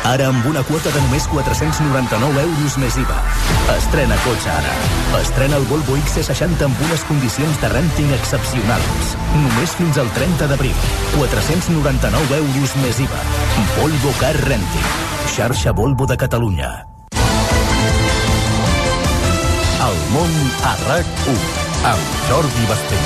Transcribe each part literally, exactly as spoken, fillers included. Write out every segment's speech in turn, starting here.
Ara amb una quota de només quatre-cents noranta-nou euros més I V A. Estrena cotxe ara. Estrena el Volvo X C seixanta amb unes condicions de rènting excepcionals. Només fins al trenta d'abril. quatre-cents noranta-nou euros més I V A. Volvo Car Renting. Xarxa Volvo de Catalunya. El món a RAC u amb Jordi Basté.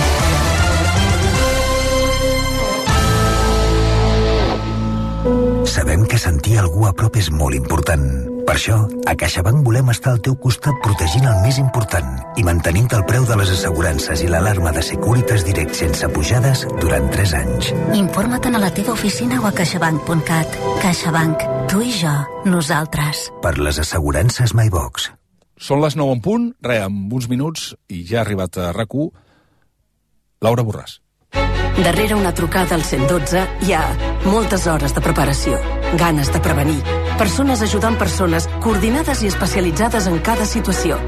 Sabem que sentir algú a prop és molt important. Per això, a CaixaBank volem estar al teu costat protegint el més important i mantenint el preu de les assegurances i l'alarma de Securitas Direct sense pujades durant tres anys. Informa't a la teva oficina o a caixabank punt cat. CaixaBank. Tu i jo. Nosaltres. Per les assegurances MyBox. Són les nou en punt, re, amb uns minuts, i ja ha arribat a RAC u Laura Borràs. Darrere una trucada al cent dotze hi ha moltes hores de preparació, ganes de prevenir, persones ajudant persones coordinades i especialitzades en cada situació.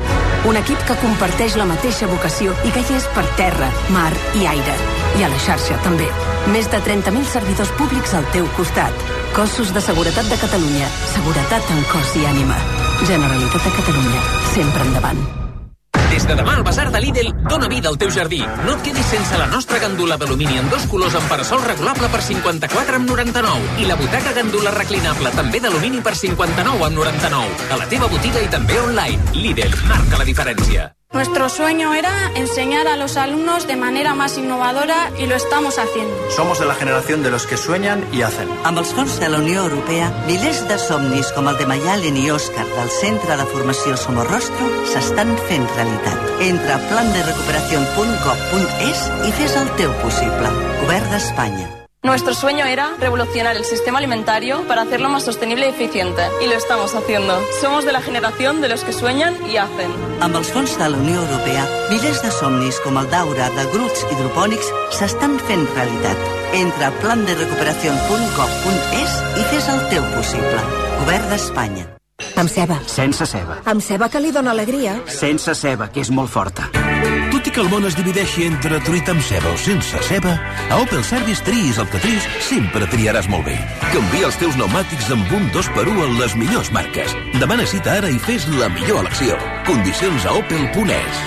Un equip que comparteix la mateixa vocació i que hi és per terra, mar i aire. I a la xarxa, també. Més de trenta mil servidors públics al teu costat. Cossos de Seguretat de Catalunya. Seguretat en cos i ànima. Generalitat de Catalunya. Sempre endavant. Des de demà, el Basar de Lidl dona vida al teu jardí. No et quedis sense la nostra gandula d'alumini en dos colors amb parasol regulable per cinquanta-quatre amb noranta-nou. I la butaca gandula reclinable també d'alumini per cinquanta-nou amb noranta-nou. A la teva botiga i també online. Lidl marca la diferència. Nuestro sueño era enseñar a los alumnos de manera más innovadora y lo estamos haciendo. Somos de la generación de los que sueñan i hacen. Amb els fons de la Unió Europea, milers de somnis com el de Mayalen i Òscar del Centre de Formació Somorrostro s'estan fent realitat. Entra a plan de recuperación punt gov punt es i fes el teu possible. Govern d'Espanya. Nuestro sueño era revolucionar el sistema alimentario para hacerlo más sostenible y eficiente. Y lo estamos haciendo. Somos de la generación de los que sueñan y hacen. Amb els fons de la Unió Europea, milers de somnis com el d'Aura, de grups hidropònics s'estan fent realitat. Entra a plan de recuperación punt gov punt es i fes el teu possible. Govern d'Espanya. Amb ceba. Sense ceba. Amb ceba, que li dona alegria. Sense ceba, que és molt forta. Tot i que el món es divideixi entre truita amb ceba o sense ceba, a Opel Service triïs el que triïs, sempre triaràs molt bé. Canvia els teus pneumàtics amb un dos per u en les millors marques. Demana cita ara i fes la millor elecció. Condicions a opel punt es.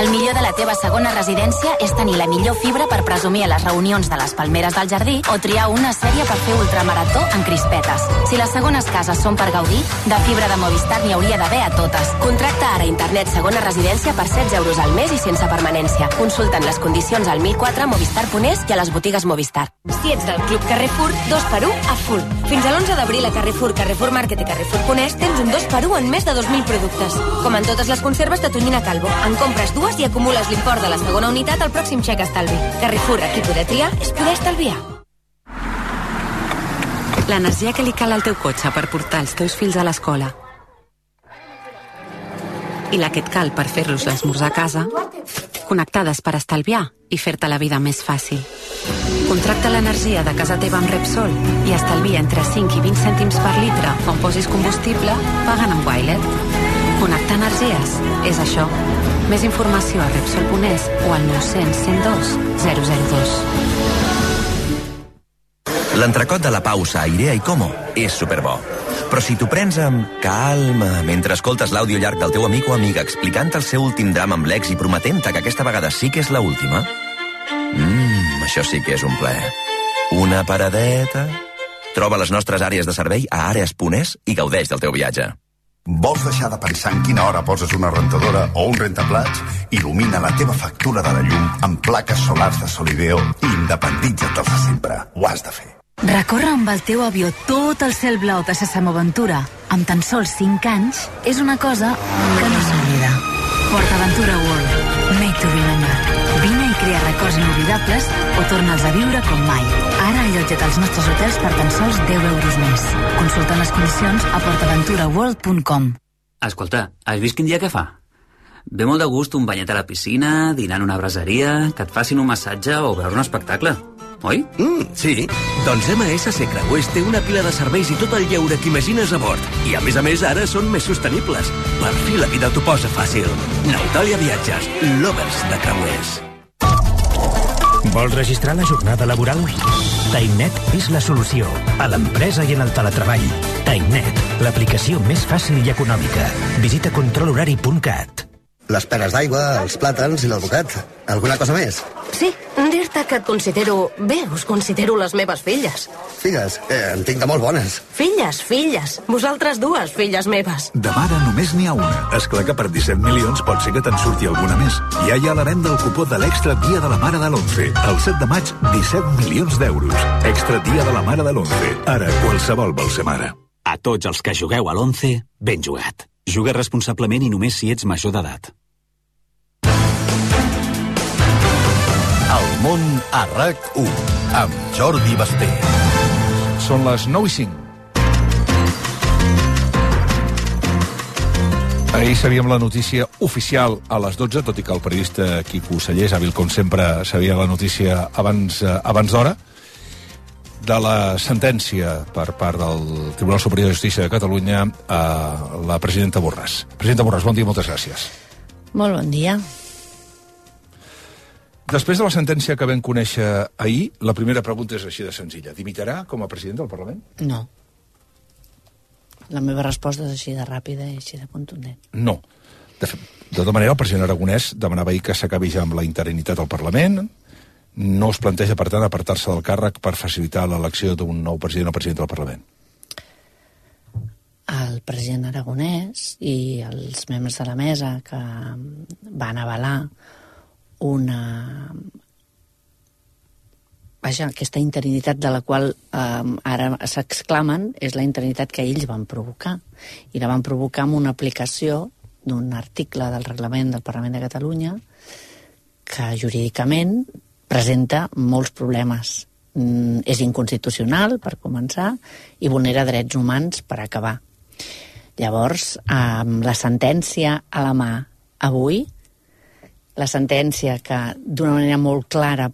El millor de la teva segona residència és tenir la millor fibra per presumir a les reunions de les palmeres del jardí o triar una sèrie per fer ultramarató en crispetes. Si les segones cases són per gaudir, de fibra de Movistar n'hi hauria d'haver a totes. Contracta ara internet segona residència per setze euros al mes i sense permanència. Consulta'n les condicions al mil quatre movistar punt es i a les botigues Movistar. Si ets del Club Carrefour, dos per u a full. Fins a l'onze d'abril a Carrefour, Carrefour Market i Carrefour punt es tens un dos per u en més de dos mil productes. Com en totes les conserves de tonyina Calvo. En compres dues i acumules l'import de la segona unitat al pròxim xec estalvi. Carrefour, aquí poder triar és poder estalviar. L'energia que li cal al teu cotxe per portar els teus fills a l'escola i la que et cal per fer-los l'esmorzar a casa, connectades per estalviar i fer-te la vida més fàcil. Contracta l'energia de casa teva amb Repsol i estalvia entre cinc i vint cèntims per litre quan posis combustible pagant amb Wilet. Connectar energies és això. Més informació a Repsol punt es o al nou cents cent dos zero zero dos. L'entrecot de la pausa a Irea i Como és superbo. Però si t'ho prens amb calma mentre escoltes l'àudio llarg del teu amic o amiga explicant el seu últim drama amb l'ex i prometent-te que aquesta vegada sí que és l'última, mmm, això sí que és un plaer. Una paradeta... Troba les nostres àrees de servei a àrees punt es i gaudeix del teu viatge. Vols deixar de pensar en quina hora poses una rentadora o un rentaplats? Il·lumina la teva factura de la llum amb plaques solars de Solideo i independitza't de sempre. Ho has de fer. Recórrer amb el teu avió tot el cel blau de Sesam Aventura amb tan sols cinc anys és una cosa que no s'oblida. PortAventura World. Made to remember. Vine i crea records inoblidables o torna'ls a viure com mai. Ara allotja't als nostres hotels per tan sols deu euros més. Consulta les condicions a port aventura world punt com. Escolta, has vist quin dia que fa? Ve molt de gust un banyet a la piscina, dinar en una braseria, que et facin un massatge o veure un espectacle. Oi? Mm, sí. Doncs M S C Creuers té una pila de serveis i tot el lleure que imagines a bord. I a més a més ara són més sostenibles. Per fi la vida t'ho posa fàcil. Nautalia Viatges, lovers de creuers. Vols registrar la jornada laboral? TimeNet és la solució a l'empresa i en el teletreball. TimeNet, l'aplicació més fàcil i econòmica. Visita control horari punt cat. Les peres d'aigua, els plàtans i l'alvocat. Alguna cosa més? Sí, dir-te que et considero... Bé, us considero les meves filles. Figues, eh, en tinc de molt bones. Filles, filles. Vosaltres dues, filles meves. De mare només n'hi ha una. És clar que per disset milions pot ser que te'n surti alguna més. Ja hi ha a la venda el cupó de l'Extra Dia de la Mare de l'onze. El set de maig, disset milions d'euros. Extra Dia de la Mare de l'onze. Ara, qualsevol vol ser mare. A tots els que jugueu a l'onze, ben jugat. Juga responsablement i només si ets major d'edat. El món a RAC u, amb Jordi Basté. Són les nou i cinc. Ahir sabíem la notícia oficial a les dotze, tot i que el periodista Quico Sallés, hàbil com sempre, sabia la notícia abans, eh, abans d'hora, de la sentència per part del Tribunal Superior de Justícia de Catalunya a la presidenta Borràs. Presidenta Borràs, bon dia, moltes gràcies. Molt bon dia. Després de la sentència que vam conèixer ahir, la primera pregunta és així de senzilla. Dimitirà com a president del Parlament? No. La meva resposta és així de ràpida i així de contundent. No. De, fet, de tota manera, el president Aragonès demanava ahir que s'acabi ja amb la interinitat al Parlament. No es planteja, per tant, apartar-se del càrrec per facilitar l'elecció d'un nou president o president del Parlament. El president Aragonès i els membres de la mesa que van avalar una... Vaja, aquesta interinitat de la qual eh, ara s'exclamen és la interinitat que ells van provocar. I la van provocar amb una aplicació d'un article del reglament del Parlament de Catalunya que jurídicament presenta molts problemes. Mm, és inconstitucional, per començar, i vulnera drets humans per acabar. Llavors, amb la sentència a la mà avui, la sentència que d'una manera molt clara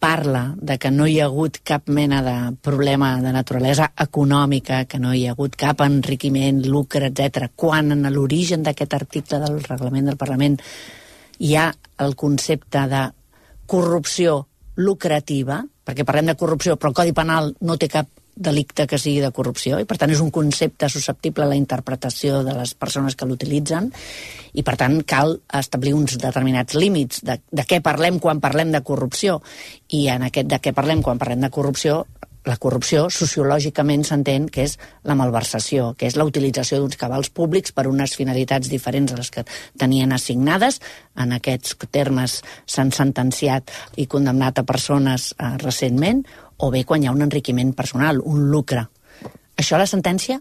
parla de que no hi ha hagut cap mena de problema de naturalesa econòmica, que no hi ha hagut cap enriquiment, lucre, etcètera, quan en l'origen d'aquest article del reglament del Parlament hi ha el concepte de corrupció lucrativa, perquè parlem de corrupció, però el Codi Penal no té cap delicte que sigui de corrupció, i per tant és un concepte susceptible a la interpretació de les persones que l'utilitzen, i per tant cal establir uns determinats límits de, de què parlem quan parlem de corrupció, i en aquest de què parlem quan parlem de corrupció, la corrupció sociològicament s'entén que és la malversació, que és la utilització d'uns cabals públics per unes finalitats diferents a les que tenien assignades. En aquests termes s'han sentenciat i condemnat a persones eh, recentment, o bé quan hi ha un enriquiment personal, un lucre. Això la sentència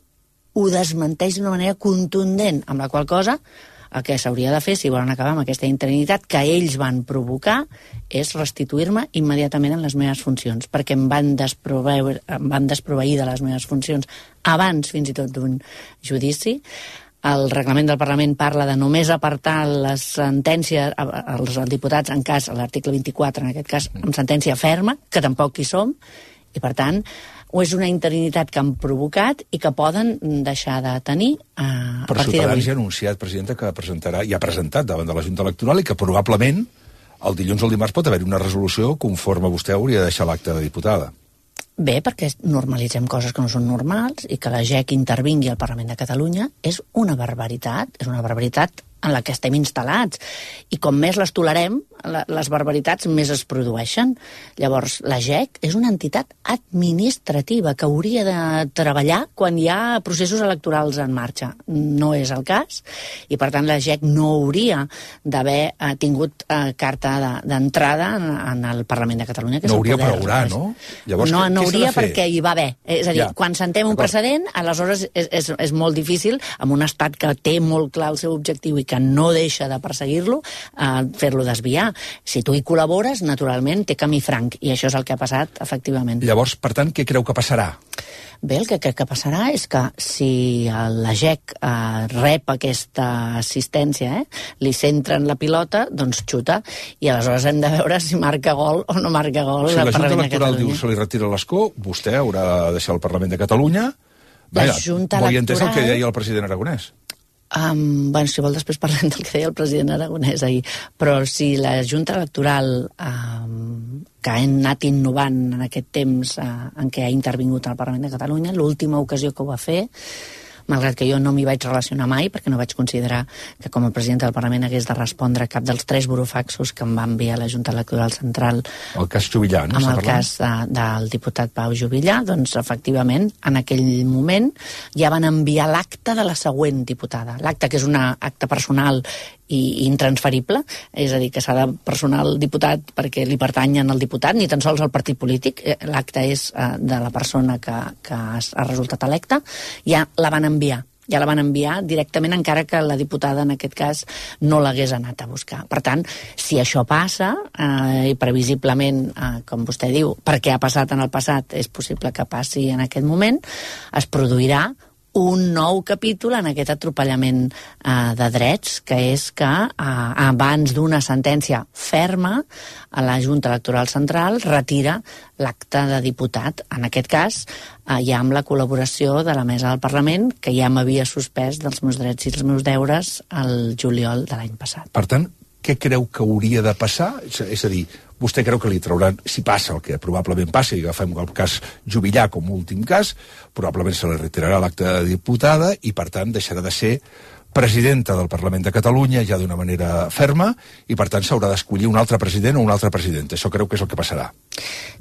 ho desmenteix d'una manera contundent, amb la qual cosa el que s'hauria de fer, si volen acabar amb aquesta interinitat que ells van provocar, és restituir-me immediatament en les meves funcions, perquè em van desproveir, em van desproveir de les meves funcions abans fins i tot d'un judici. El reglament del Parlament parla de només apartar les sentències als diputats en cas, a l'article vint-i-quatre, en aquest cas, amb sentència ferma, que tampoc hi som, i per tant, o és una interinitat que han provocat i que poden deixar de tenir eh, a Però partir d'avui. Ciutadans ja ha anunciat, presidenta, que presentarà, i ha presentat davant de la Junta Electoral, i que probablement el dilluns o el dimarts pot haver una resolució conforme vostè hauria de deixar l'acte de diputada. Bé, perquè normalitzem coses que no són normals, i que la G E C intervingui al Parlament de Catalunya és una barbaritat, és una barbaritat en la que estem instal·lats. I com més les tolerem, les barbaritats més es produeixen. Llavors, la G E C és una entitat administrativa que hauria de treballar quan hi ha processos electorals en marxa. No és el cas, i per tant la G E C no hauria d'haver eh, tingut eh, carta d'entrada en, en el Parlament de Catalunya. Que no és el hauria, poder, però haurà, no? Llavors, no, què, no què hauria perquè hi va haver. És a dir, ja. Quan sentem un precedent, aleshores és, és, és molt difícil, amb un estat que té molt clar el seu objectiu i que no deixa de perseguir-lo, eh, fer-lo desviar. Si tu hi col·labores, naturalment té camí franc, i això és el que ha passat, efectivament. Llavors, per tant, què creu que passarà? Bé, el que crec que passarà és que si la G E C eh, rep aquesta assistència, eh, li centren la pilota, doncs xuta, i aleshores hem de veure si marca gol o no marca gol. Si la Junta Electoral diu se li retira l'escó, vostè haurà de deixar el Parlament de Catalunya. Vaja, Junta bo i entès el que Electoral... deia el president Aragonès. Um, bueno, si vol després parlem del que deia el president Aragonès ahir, però si la Junta Electoral um, que ha anat innovant en aquest temps uh, en què ha intervingut al Parlament de Catalunya, l'última ocasió que ho va fer, malgrat que jo no m'hi vaig relacionar mai, perquè no vaig considerar que com a president del Parlament hagués de respondre a cap dels tres burofaxos que em va enviar la Junta Electoral Central. El cas Juvillà, no? Amb el cas de, del diputat Pau Juvillà, doncs efectivament, en aquell moment ja van enviar l'acte de la següent diputada. L'acte, que és un acte personal i intransferible, és a dir, que s'ha de personar el diputat perquè li pertanyen al diputat, ni tan sols al partit polític. L'acte és uh, de la persona que, que ha resultat electa. Ja la van enviar. Ja la van enviar directament, encara que la diputada, en aquest cas, no l'hagués anat a buscar. Per tant, si això passa, eh, i previsiblement, eh, com vostè diu, perquè ha passat en el passat, és possible que passi en aquest moment, es produirà un nou capítol en aquest atropellament eh, de drets, que és que eh, abans d'una sentència ferma, a la Junta Electoral Central retira l'acte de diputat. En aquest cas, eh, ja amb la col·laboració de la Mesa del Parlament, que ja m'havia suspès dels meus drets i els meus deures el juliol de l'any passat. Per tant, què creu que hauria de passar? És a dir, vostè creu que li trauran, si passa el que probablement passi, i agafem el cas Juvillà com a últim cas, probablement se li retirarà l'acte de diputada i, per tant, deixarà de ser presidenta del Parlament de Catalunya ja d'una manera ferma i, per tant, s'haurà d'escollir un altre president o una altra presidenta. Això creu que és el que passarà.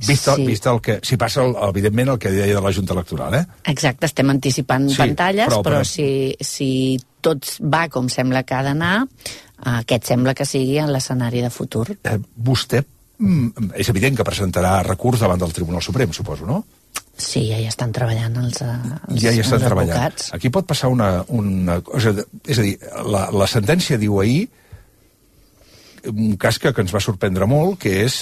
Vist, sí. vist el que... Si passa, el, evidentment, el que deia de la Junta Electoral, eh? Exacte, estem anticipant sí, pantalles, però, però, però si, si tot va com sembla que ha d'anar, aquest sembla que sigui en l'escenari de futur. Eh, vostè mm, és evident que presentarà recurs davant del Tribunal Suprem, suposo, no? Sí, ja hi estan treballant els, els, ja hi estan els treballant. advocats. Aquí pot passar una, una cosa... És a dir, la, la sentència diu ahir un cas que, que ens va sorprendre molt, que és...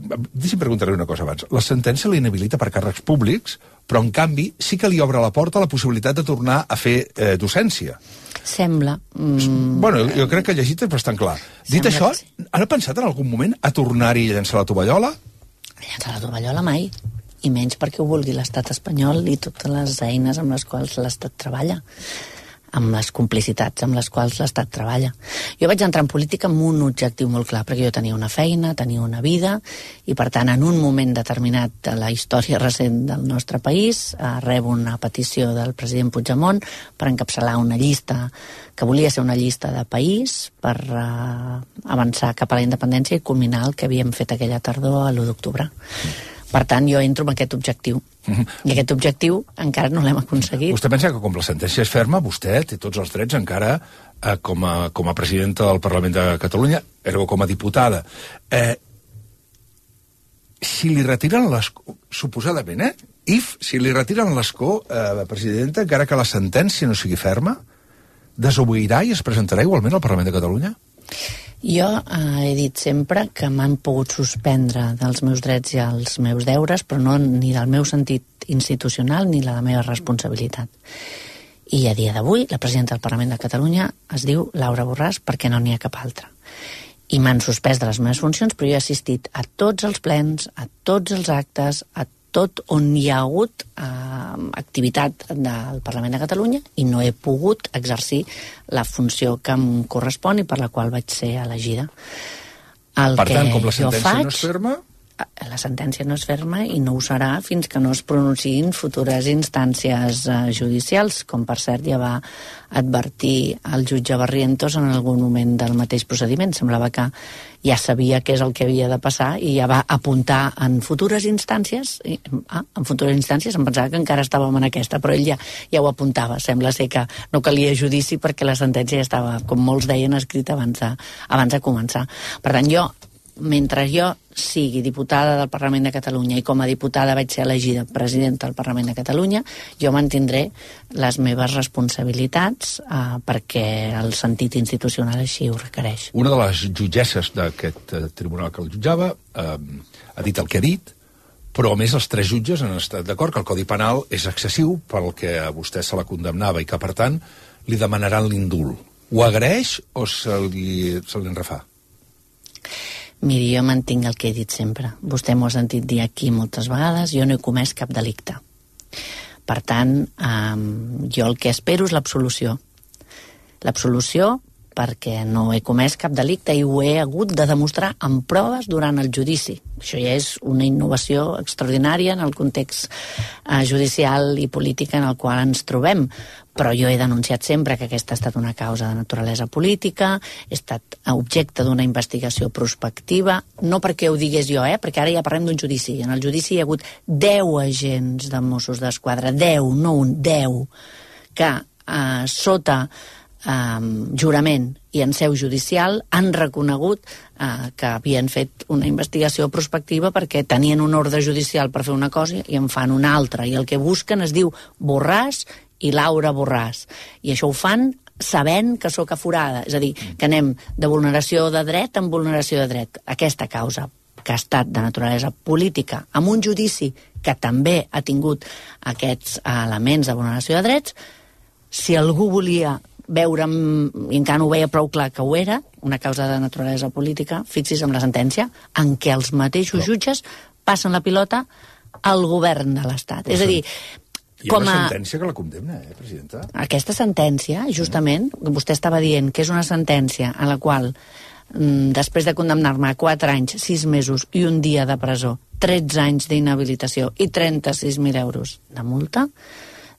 Deixi'm preguntar-li una cosa abans. La sentència l'inhabilita per càrrecs públics, però, en canvi, sí que li obre la porta a la possibilitat de tornar a fer eh, docència. Sembla. Mm, bueno, jo crec que llegit és bastant clar. Dit això, sí. Han pensat en algun moment a tornar-hi a llançar la tovallola? A llançar la tovallola mai. I menys perquè ho vulgui l'estat espanyol i totes les eines amb les quals l'estat treballa, amb les complicitats amb les quals l'estat treballa. Jo vaig entrar en política amb un objectiu molt clar, perquè jo tenia una feina, tenia una vida, i per tant, en un moment determinat de la història recent del nostre país, eh, rebo una petició del president Puigdemont per encapçalar una llista que volia ser una llista de país per eh, avançar cap a la independència i culminar el que havíem fet aquella tardor a l'u d'octubre. Per tant, jo entro amb aquest objectiu. Uh-huh. I aquest objectiu encara no l'hem aconseguit. Vostè pensa que com la sentència és ferma, vostè té tots els drets encara eh, com, a, com a presidenta del Parlament de Catalunya, ergo com a diputada. Eh, si li retiren l'escó, suposadament, eh? If, si li retiren l'escó, eh, presidenta, encara que la sentència no sigui ferma, desobeirà i es presentarà igualment al Parlament de Catalunya? Jo eh, he dit sempre que m'han pogut suspendre dels meus drets i els meus deures, però no ni del meu sentit institucional ni la meva responsabilitat. I a dia d'avui, la presidenta del Parlament de Catalunya es diu Laura Borràs perquè no n'hi ha cap altra. I m'han suspès de les meves funcions, però jo he assistit a tots els plens, a tots els actes, a tot on hi ha hagut eh, activitat del Parlament de Catalunya i no he pogut exercir la funció que em correspon i per la qual vaig ser elegida. El per tant, com la sentència faig, no és ferma... La sentència no és ferma i no ho serà fins que no es pronunciïn futures instàncies eh, judicials, com per cert ja va advertir el jutge Barrientos en algun moment del mateix procediment. Semblava que ja sabia què és el que havia de passar i ja va apuntar en futures instàncies, i, ah, en futures instàncies em pensava que encara estàvem en aquesta, però ell ja, ja ho apuntava. Sembla ser que no calia judici perquè la sentència ja estava, com molts deien, escrita abans de, abans de començar. Per tant, jo mentre jo sigui diputada del Parlament de Catalunya i com a diputada vaig ser elegida presidenta del Parlament de Catalunya, jo mantindré les meves responsabilitats eh, perquè el sentit institucional així ho requereix. Una de les jutgesses d'aquest eh, tribunal que el jutjava eh, ha dit el que ha dit, però a més els tres jutges han estat d'acord que el Codi Penal és excessiu pel que a vostè se la condemnava i que, per tant, li demanaran l'indult. Ho agraeix o se li, se li enrefà? Miri, jo mantinc el que he dit sempre. Vostè m'ho ha sentit dir aquí moltes vegades, jo no he comès cap delicte. Per tant, eh, jo el que espero és l'absolució. L'absolució perquè no he comès cap delicte i ho he hagut de demostrar amb proves durant el judici. Això ja és una innovació extraordinària en el context eh, judicial i polític en el qual ens trobem. Però jo he denunciat sempre que aquesta ha estat una causa de naturalesa política, he estat objecte d'una investigació prospectiva, no perquè ho digués jo, eh, perquè ara ja parlem d'un judici. En el judici hi ha hagut deu agents de Mossos d'Esquadra, deu, no un, deu, que eh, sota Um, jurament i en seu judicial han reconegut uh, que havien fet una investigació prospectiva perquè tenien un ordre judicial per fer una cosa i en fan una altra, i el que busquen es diu Borràs i Laura Borràs, i això ho fan sabent que sóc aforada, és a dir, que anem de vulneració de dret en vulneració de dret. Aquesta causa, que ha estat de naturalesa política, amb un judici que també ha tingut aquests elements de vulneració de drets, si algú volia veure'm, i encara no ho veia prou clar que ho era, una causa de naturalesa política, fixis amb la sentència, en què els mateixos jutges passen la pilota al govern de l'Estat. És a dir, hi ha una sentència que la condemna, eh, presidenta? Aquesta sentència, justament, vostè estava dient que és una sentència a la qual, després de condemnar-me a quatre anys, sis mesos i un dia de presó, tretze anys d'inhabilitació i trenta-sis mil euros de multa,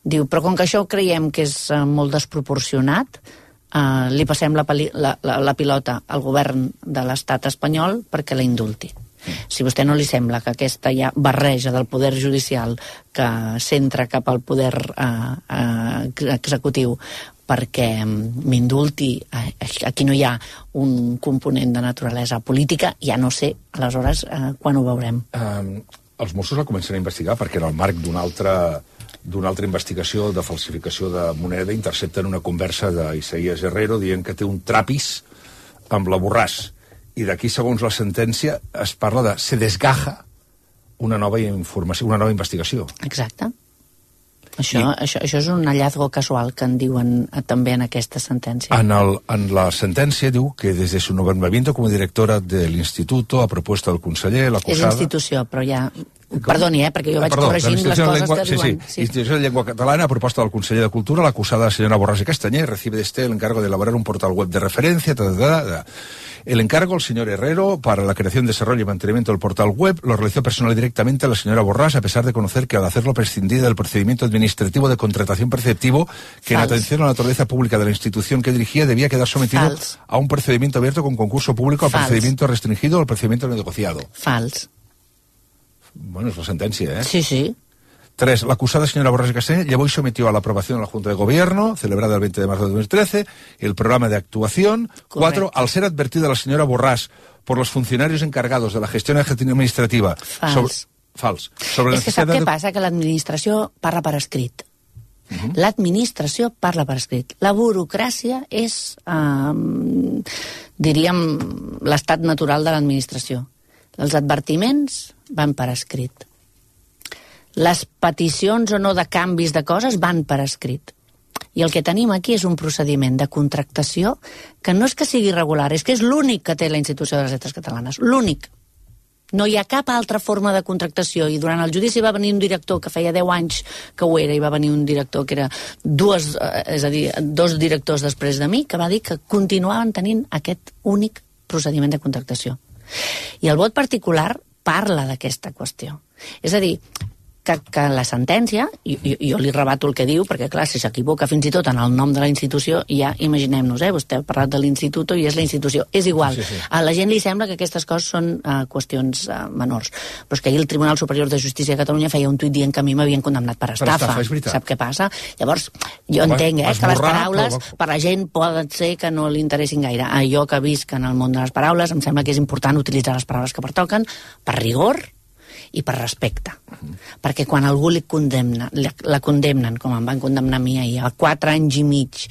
diu, però com que això creiem que és uh, molt desproporcionat, uh, li passem la, la, la, la pilota al govern de l'estat espanyol perquè la indulti. Mm. Si a vostè no li sembla que aquesta ja barreja del poder judicial que centra cap al poder uh, uh, executiu perquè m'indulti, uh, aquí no hi ha un component de naturalesa política, ja no sé, aleshores, uh, quan ho veurem. Um, els Mossos la comencen a investigar perquè en el marc d'una altra... d'una altra investigació de falsificació de moneda intercepten una conversa d'Isaías Herrero dient que té un trapis amb la Borràs. I d'aquí, segons la sentència, es parla de se desgaja una nova informació, una nova investigació. Exacte. Això, I, això, això és un hallazgo casual que en diuen també en aquesta sentència. En, el, en la sentència diu que des de su nombramiento como directora del instituto a propuesta del conseller, l'acusada... És institució, però ja... Perdoni, eh, perquè jo vaig Perdó, corregint les coses llengua, que sí, diuen. Sí, sí. Institució de Llengua Catalana, a proposta del conseller de Cultura, l'acusada, la señora Borràs i Castanyer, recibe de este el encargo de elaborar un portal web de referencia. Ta, ta, ta, ta. El encargo, el señor Herrero, para la creación, desarrollo y mantenimiento del portal web, lo realizó personal directamente a la señora Borràs, a pesar de conocer que al hacerlo prescindía del procedimiento administrativo de contratación preceptivo, que Fals. En atención a la naturaleza pública de la institución que dirigía, debía quedar sometido Fals. A un procedimiento abierto con concurso público, al Fals. Procedimiento restringido o al procedimiento negociado. Fals. Bueno, es la sentencia, ¿eh? Sí, sí. Tres, la acusada señora Borràs y Castañer llevó y sometió a la aprobación de la Junta de Gobierno, celebrada el veinte de marzo de dos mil trece, el programa de actuación. Correcto. Cuatro, al ser advertida la señora Borràs por los funcionarios encargados de la gestión administrativa... Fals. Sobre, fals. Sobre és que sap de... què passa? Que l'administració parla per escrit. Uh -huh. L'administració parla per escrit. La burocràcia és, eh, diríem, l'estat natural de l'administració. Els advertiments van per escrit. Les peticions o no de canvis de coses van per escrit. I el que tenim aquí és un procediment de contractació que no és que sigui regular, és que és l'únic que té la Institució de les Lletres Catalanes. L'únic. No hi ha cap altra forma de contractació, i durant el judici va venir un director que feia deu anys que ho era, i va venir un director que era dues, és a dir, dos directors després de mi, que va dir que continuaven tenint aquest únic procediment de contractació. I el vot particular parla d'aquesta qüestió. És a dir, que, que la sentència, i, i jo li rebato el que diu, perquè clar, si s'equivoca fins i tot en el nom de la institució, ja imaginem-nos, eh, vostè ha parlat de l'institut i és la institució, és igual. Sí, sí. A la gent li sembla que aquestes coses són uh, qüestions uh, menors, però és que ahir el Tribunal Superior de Justícia de Catalunya feia un tuit dient que a mi m'havien condemnat per estafa. Per estafa, sap què passa? Llavors, jo Home, entenc, eh, que les paraules però... per la gent poden ser que no li interessin gaire. Ah, jo que visc en el món de les paraules, em sembla que és important utilitzar les paraules que pertoquen per rigor i per respecte. Uh-huh. Perquè quan algú li condemna, la, la condemnen, com em van condemnar a mi ahir, a quatre anys i mig,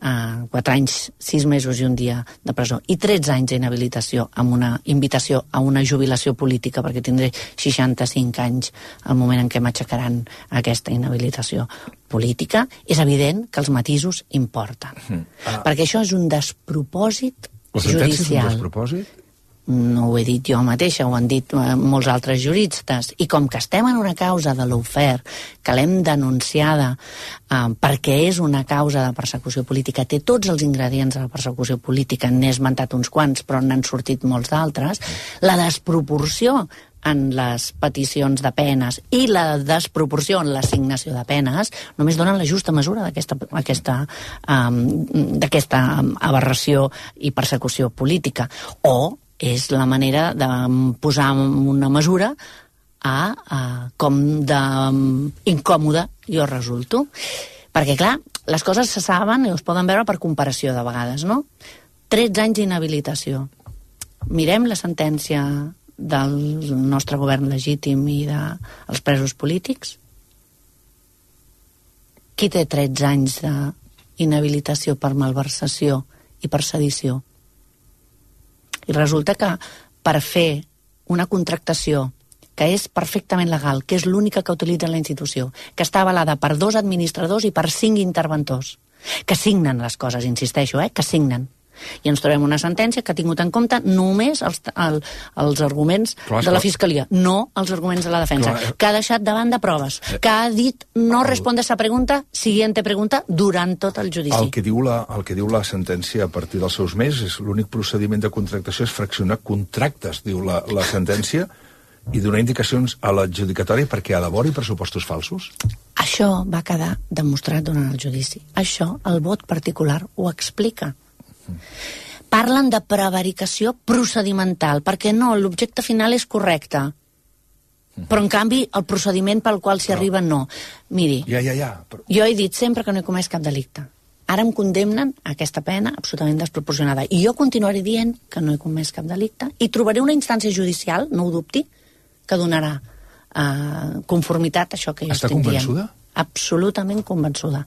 uh, quatre anys, sis mesos i un dia de presó, i tretze anys d'inhabilitació amb una invitació a una jubilació política, perquè tindré seixanta-cinc anys al moment en què m'aixecaran aquesta inhabilitació política, és evident que els matisos importen. Uh-huh. Ah. Perquè això és un despropòsit la sentència judicial. És un despropòsit? no ho he dit jo mateixa, ho han dit molts altres juristes, i com que estem en una causa de lawfare, que l'hem denunciada eh, perquè és una causa de persecució política, té tots els ingredients de la persecució política, n'he esmentat uns quants, però n'han sortit molts d'altres, la desproporció en les peticions de penes i la desproporció en l'assignació de penes només donen la justa mesura d'aquesta aquesta, um, d'aquesta aberració i persecució política. O és la manera de posar una mesura a, a com d'incòmode jo resulto. Perquè, clar, les coses se saben i es poden veure per comparació de vegades, no? tretze anys d'inhabilitació. Mirem la sentència del nostre govern legítim i dels presos polítics. Qui té tretze anys d'inhabilitació per malversació i per sedició? I resulta que per fer una contractació que és perfectament legal, que és l'única que utilitza la institució, que està avalada per dos administradors i per cinc interventors, que signen les coses, insisteixo, eh, que signen. I ens trobem una sentència que ha tingut en compte només els, el, els arguments clar, de la Fiscalia, no els arguments de la defensa, clar, que ha deixat davant de proves, que ha dit no el, responde a esa pregunta, siguiente pregunta, durant tot el judici. El que, diu la, el que diu la sentència a partir dels seus mesos és l'únic procediment de contractació és fraccionar contractes, diu la, la sentència, i donar indicacions a l'adjudicatòria perquè elabori pressupostos falsos? Això va quedar demostrat durant el judici. Això el vot particular ho explica. Parlen de prevaricació procedimental, perquè no, l'objecte final és correcte, però en canvi el procediment pel qual s'hi arriba no. Miri, ja, ja, ja, però... jo he dit sempre que no he comès cap delicte. Ara em condemnen a aquesta pena absolutament desproporcionada. I jo continuaré dient que no he comès cap delicte i trobaré una instància judicial, no ho dubti, que donarà eh, conformitat a això que jo estic dient. Està convençuda? Absolutament convençuda.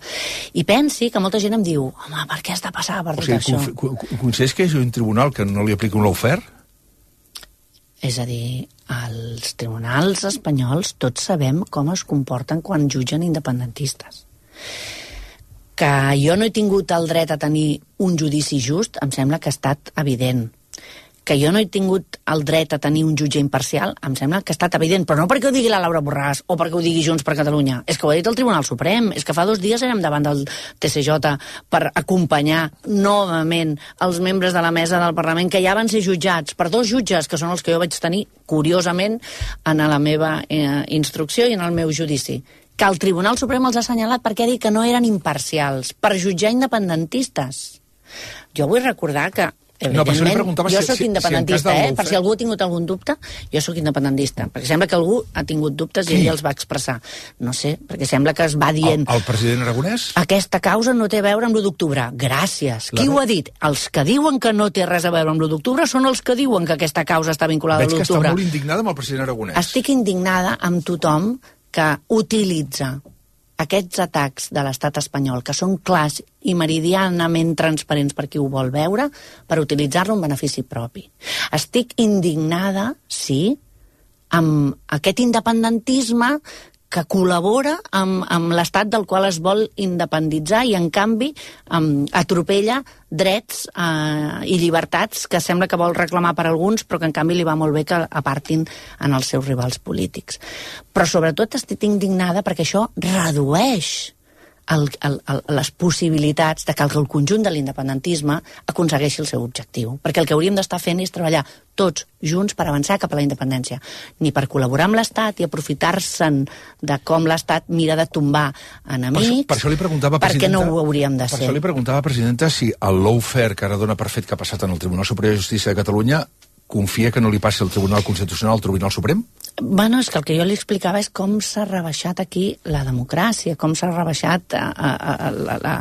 I pensi que molta gent em diu home, per què has de passar per tot o sigui, això? Considers que és un tribunal que no li aplica un lawfare? És a dir, els tribunals espanyols tots sabem com es comporten quan jutgen independentistes. Que jo no he tingut el dret a tenir un judici just, em sembla que ha estat evident. Que jo no he tingut el dret a tenir un jutge imparcial, em sembla que ha estat evident, però no perquè ho digui la Laura Borràs o perquè ho digui Junts per Catalunya, és que ho ha dit el Tribunal Suprem, és que fa dos dies érem davant del T C J per acompanyar novament els membres de la mesa del Parlament que ja van ser jutjats per dos jutges, que són els que jo vaig tenir, curiosament, en la meva eh, instrucció i en el meu judici, que el Tribunal Suprem els ha assenyalat perquè ha dit que no eren imparcials, per jutjar independentistes. Jo vull recordar que no, evidentment, jo si, soc independentista, si eh? Per si algú ha tingut algun dubte, jo sóc independentista, perquè sembla que algú ha tingut dubtes i ell els va expressar. No sé, perquè sembla que es va dient... El, el president Aragonès? Aquesta causa no té a veure amb l'u d'octubre. Gràcies. La... Qui ho ha dit? Els que diuen que no té res a veure amb l'u d'octubre són els que diuen que aquesta causa està vinculada Veig a l'u d'octubre. Veig que està molt indignada amb el president Aragonès. Estic indignada amb tothom que utilitza aquests atacs de l'estat espanyol, que són clars i meridianament transparents per qui ho vol veure, per utilitzar-lo en benefici propi. Estic indignada, sí, amb aquest independentisme que col·labora amb, amb l'estat del qual es vol independitzar i, en canvi, um, atropella drets uh, i llibertats que sembla que vol reclamar per alguns, però que, en canvi, li va molt bé que apartin en els seus rivals polítics. Però, sobretot, estic indignada perquè això redueix el, el, el, les possibilitats de que el conjunt de l'independentisme aconsegueixi el seu objectiu. Perquè el que hauríem d'estar fent és treballar tots junts per avançar cap a la independència, ni per col·laborar amb l'Estat i aprofitar-se'n de com l'Estat mira de tombar enemics, per, per això li preguntava, perquè no ho hauríem de per ser. Per això li preguntava, presidenta, si el lawfare que ara dona per fet que ha passat en el Tribunal Superior de Justícia de Catalunya confia que no li passi al Tribunal Constitucional, al Tribunal Suprem? Bueno, és que el que jo li explicava és com s'ha rebaixat aquí la democràcia, com s'ha rebaixat a, a, a, a, a,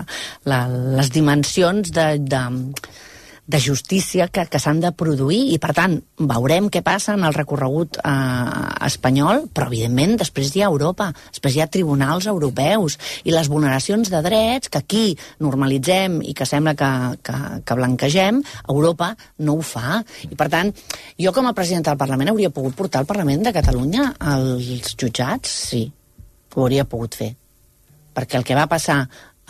a, les dimensions de... de de justícia que, que s'han de produir i, per tant, veurem què passa en el recorregut eh, espanyol, però, evidentment, després hi ha Europa, després hi ha tribunals europeus i les vulneracions de drets que aquí normalitzem i que sembla que, que, que blanquegem, Europa no ho fa. I, per tant, jo com a presidenta del Parlament hauria pogut portar al Parlament de Catalunya als jutjats? Sí, ho hauria pogut fer. Perquè el que va passar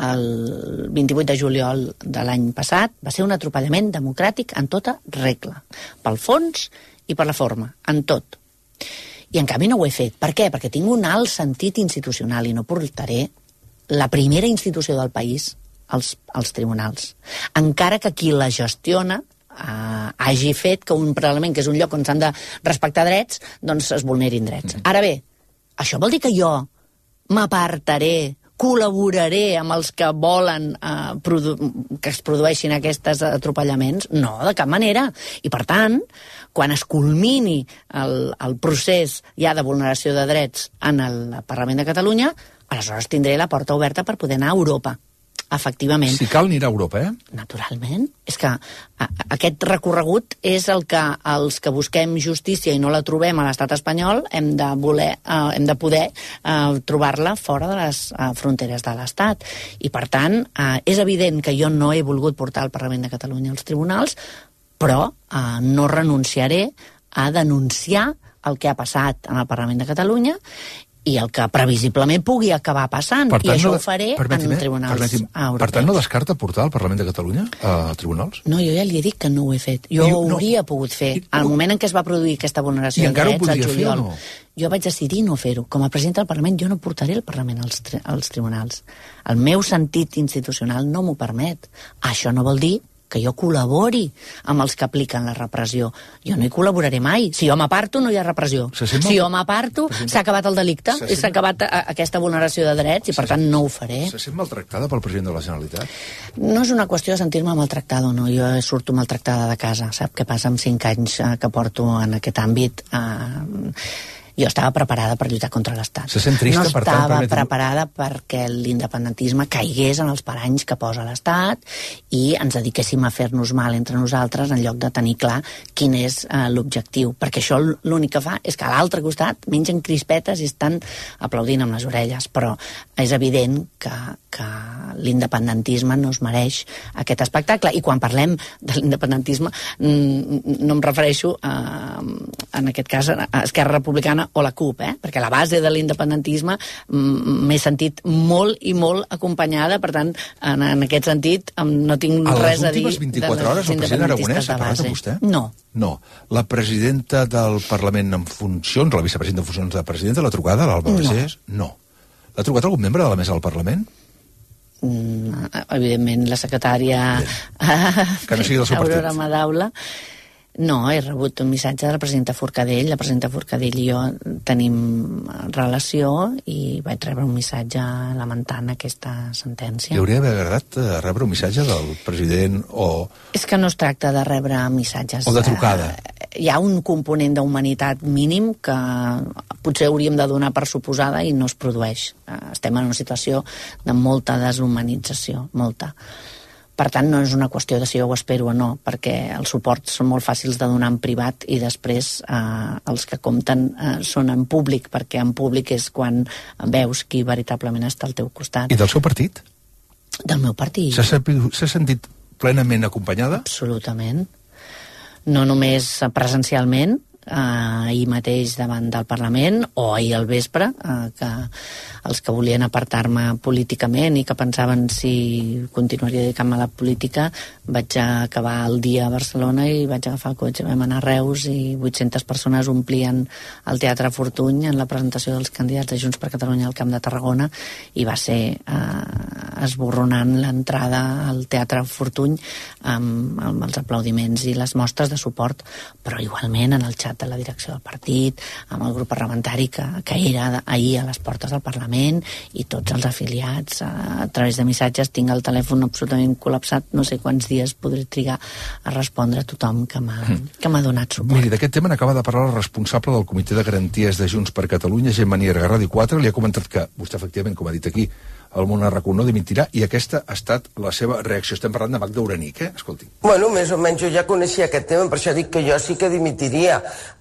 el vint-i-vuit de juliol de l'any passat va ser un atropellament democràtic en tota regla, pel fons i per la forma, en tot. I en canvi no ho he fet. Per què? Perquè tinc un alt sentit institucional i no portaré la primera institució del país als, als tribunals. Encara que qui la gestiona eh, hagi fet que un Parlament, que és un lloc on s'han de respectar drets, doncs es vulnerin drets. Ara bé, això vol dir que jo m'apartaré, col·laboraré amb els que volen eh, que es produeixin aquests atropellaments? No, de cap manera. I, per tant, quan es culmini el, el procés ja de vulneració de drets en el Parlament de Catalunya, aleshores tindré la porta oberta per poder anar a Europa. Efectivament. Si cal, anirà a Europa, eh? Naturalment. És que a, aquest recorregut és el que els que busquem justícia i no la trobem a l'estat espanyol hem de voler, eh, hem de poder eh, trobar-la fora de les eh, fronteres de l'estat. I, per tant, eh, és evident que jo no he volgut portar el Parlament de Catalunya als tribunals, però eh, no renunciaré a denunciar el que ha passat en el Parlament de Catalunya i el que previsiblement pugui acabar passant. Tant, I això no, ho faré en tribunals europeus. Per tant, no descarta portar el Parlament de Catalunya a tribunals? No, jo ja li he dit que no ho he fet. Jo ho hauria no. pogut fer. Al moment en què es va produir aquesta vulneració de drets, al juliol, no? jo vaig decidir no fer-ho. Com a president del Parlament, jo no portaré el Parlament als, tri als tribunals. El meu sentit institucional no m'ho permet. Això no vol dir que jo col·labori amb els que apliquen la repressió. Jo no hi col·laboraré mai. Si jo m'aparto, no hi ha repressió. Si jo m'aparto, s'ha acabat el delicte, s'ha acabat aquesta vulneració de drets i, per tant, no ho faré. Se sent maltractada pel president de la Generalitat? No és una qüestió de sentir-me maltractada o no. Jo surto maltractada de casa. Sap què passa amb cinc anys que porto en aquest àmbit? Uh, jo estava preparada per lluitar contra l'Estat. Se sent trista, no per tant, estava permetim... preparada perquè l'independentisme caigués en els paranys que posa l'Estat i ens dediquéssim a fer-nos mal entre nosaltres en lloc de tenir clar quin és uh, l'objectiu. Perquè això l'únic que fa és que a l'altre costat mengen crispetes i estan aplaudint amb les orelles. Però és evident que, que l'independentisme no es mereix aquest espectacle. I quan parlem de l'independentisme no em refereixo a, en aquest cas a Esquerra Republicana o la CUP, eh? Perquè la base de l'independentisme m'he sentit molt i molt acompanyada, per tant, en, en aquest sentit no tinc res a dir. A les últimes vint-i-quatre hores el president Aragonès ha parlat amb vostè? No. No. La presidenta del Parlament en funcions, la vicepresidenta en funcions de presidenta, l'ha trucada, l'Alba Vergés? No. L'ha trucat algun membre de la mesa del Parlament? Mm, evidentment, la secretària que no sigui del seu partit. Aurora Madaula. No, he rebut un missatge de la presidenta Forcadell. La presidenta Forcadell i jo tenim relació i vaig rebre un missatge lamentant aquesta sentència. Li hauria d'haver agradat rebre un missatge del president o... És que no es tracta de rebre missatges. O de trucada. Hi ha un component d'humanitat mínim que potser hauríem de donar per suposada i no es produeix. Estem en una situació de molta deshumanització, molta. Per tant, no és una qüestió de si jo ho espero o no, perquè els suports són molt fàcils de donar en privat i després eh, els que compten eh, són en públic, perquè en públic és quan veus qui veritablement està al teu costat. I del seu partit? Del meu partit. S'ha sentit plenament acompanyada? Absolutament. No només presencialment, eh, ahir mateix davant del Parlament, o ahir al vespre, eh, que els que volien apartar-me políticament i que pensaven si continuaria dedicant-me a la política, vaig acabar el dia a Barcelona i vaig agafar el cotxe, vam anar a Reus i vuit-centes persones omplien el Teatre Fortuny en la presentació dels candidats de Junts per Catalunya al Camp de Tarragona i va ser eh, esborronant l'entrada al Teatre Fortuny amb, amb els aplaudiments i les mostres de suport, però igualment en el xat de la direcció del partit, amb el grup parlamentari que, que era ahir a les portes del Parlament i tots els afiliats a, a través de missatges. Tinc el telèfon absolutament col·lapsat, no sé quants dies podré trigar a respondre a tothom que m'ha mm. donat suport. Miri, d'aquest tema n'acaba de parlar el responsable del Comitè de Garanties de Junts per Catalunya, Gemma Nierga, Ràdio quatre, li ha comentat que vostè efectivament, com ha dit aquí, el món arracó no dimitirà, i aquesta ha estat la seva reacció. Estem parlant de Magda Uranic, eh? Escolti. Bueno, més o menys jo ja coneixia aquest tema, per això dic que jo sí que dimitiria.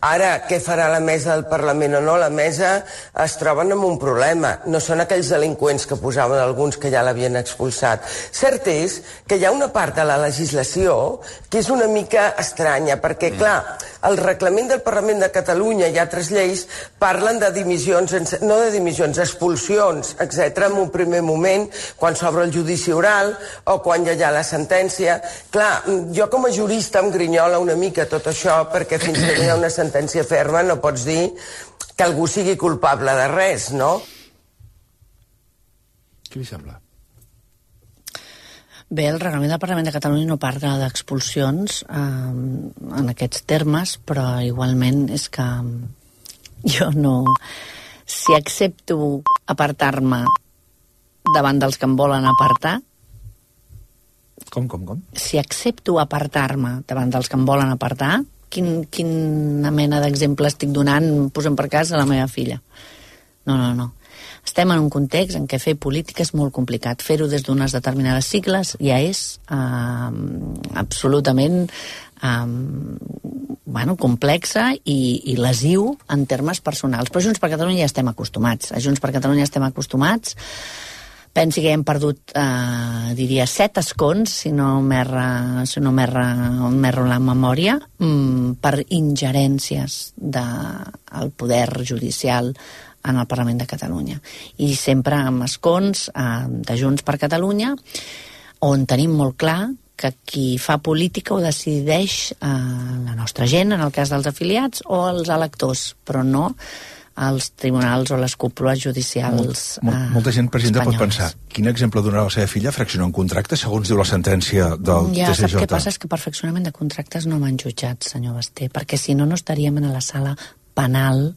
Ara, què farà la mesa del Parlament o no? La mesa es troben amb un problema. No són aquells delinqüents que posaven alguns que ja l'havien expulsat. Cert és que hi ha una part de la legislació que és una mica estranya, perquè, clar, el reglament del Parlament de Catalunya i altres lleis parlen de dimissions, no de dimissions, expulsions, etcètera, en un primer moment, quan s'obre el judici oral o quan ja hi ha la sentència. Clar, jo com a jurista em grinyola una mica tot això, perquè fins que hi ha una sentència ferma no pots dir que algú sigui culpable de res, no? Què li sembla? Bé, el reglament del Parlament de Catalunya no parla d'expulsions eh, en aquests termes, però igualment és que jo no... Si accepto apartar-me davant dels que em volen apartar... Com, com, com? Si accepto apartar-me davant dels que em volen apartar, quin, quina mena d'exemple estic donant, posem per cas, a la meva filla? No, no, no. Estem en un context en què fer política és molt complicat. Fer-ho des d'unes determinades sigles ja és eh, absolutament eh, bueno, complexa i, i lesiu en termes personals. Però Junts per Catalunya ja estem acostumats. A Junts per Catalunya estem acostumats. Pensi que hem perdut, eh, diria, set escons, si no m'erra si no m'erro la memòria, mm, per ingerències del poder judicial en el Parlament de Catalunya. I sempre amb escons eh, de Junts per Catalunya, on tenim molt clar que qui fa política ho decideix eh, la nostra gent, en el cas dels afiliats, o els electors, però no els tribunals o les cúpules judicials Mol, eh, Molta gent, presidenta, espanyoles. pot pensar quin exemple donarà la seva filla fraccionar un contracte, segons diu la sentència del ja, T C J? Ja, sap què passa? És que per fraccionament de contractes no m'han jutjat, senyor Basté, perquè si no, no estaríem en la sala penal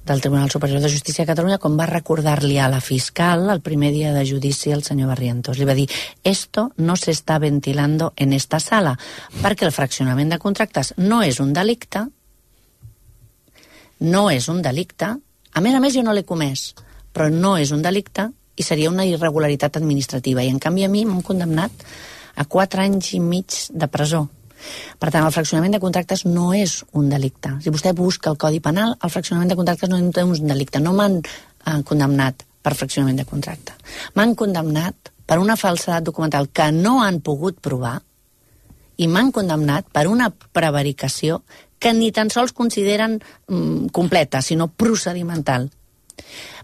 del Tribunal Superior de Justícia de Catalunya, com va recordar-li a la fiscal el primer dia de judici al senyor Barrientos. Li va dir, esto no se está ventilando en esta sala, perquè el fraccionament de contractes no és un delicte, no és un delicte, a més a més jo no l'he comès, però no és un delicte i seria una irregularitat administrativa, i en canvi a mi m'han condemnat a quatre anys i mig de presó. Per tant, el fraccionament de contractes no és un delicte. Si vostè busca el Codi Penal, el fraccionament de contractes no és un delicte. No m'han eh, condemnat per fraccionament de contracte. M'han condemnat per una falsedat documental que no han pogut provar i m'han condemnat per una prevaricació que ni tan sols consideren mm, completa, sinó procedimental.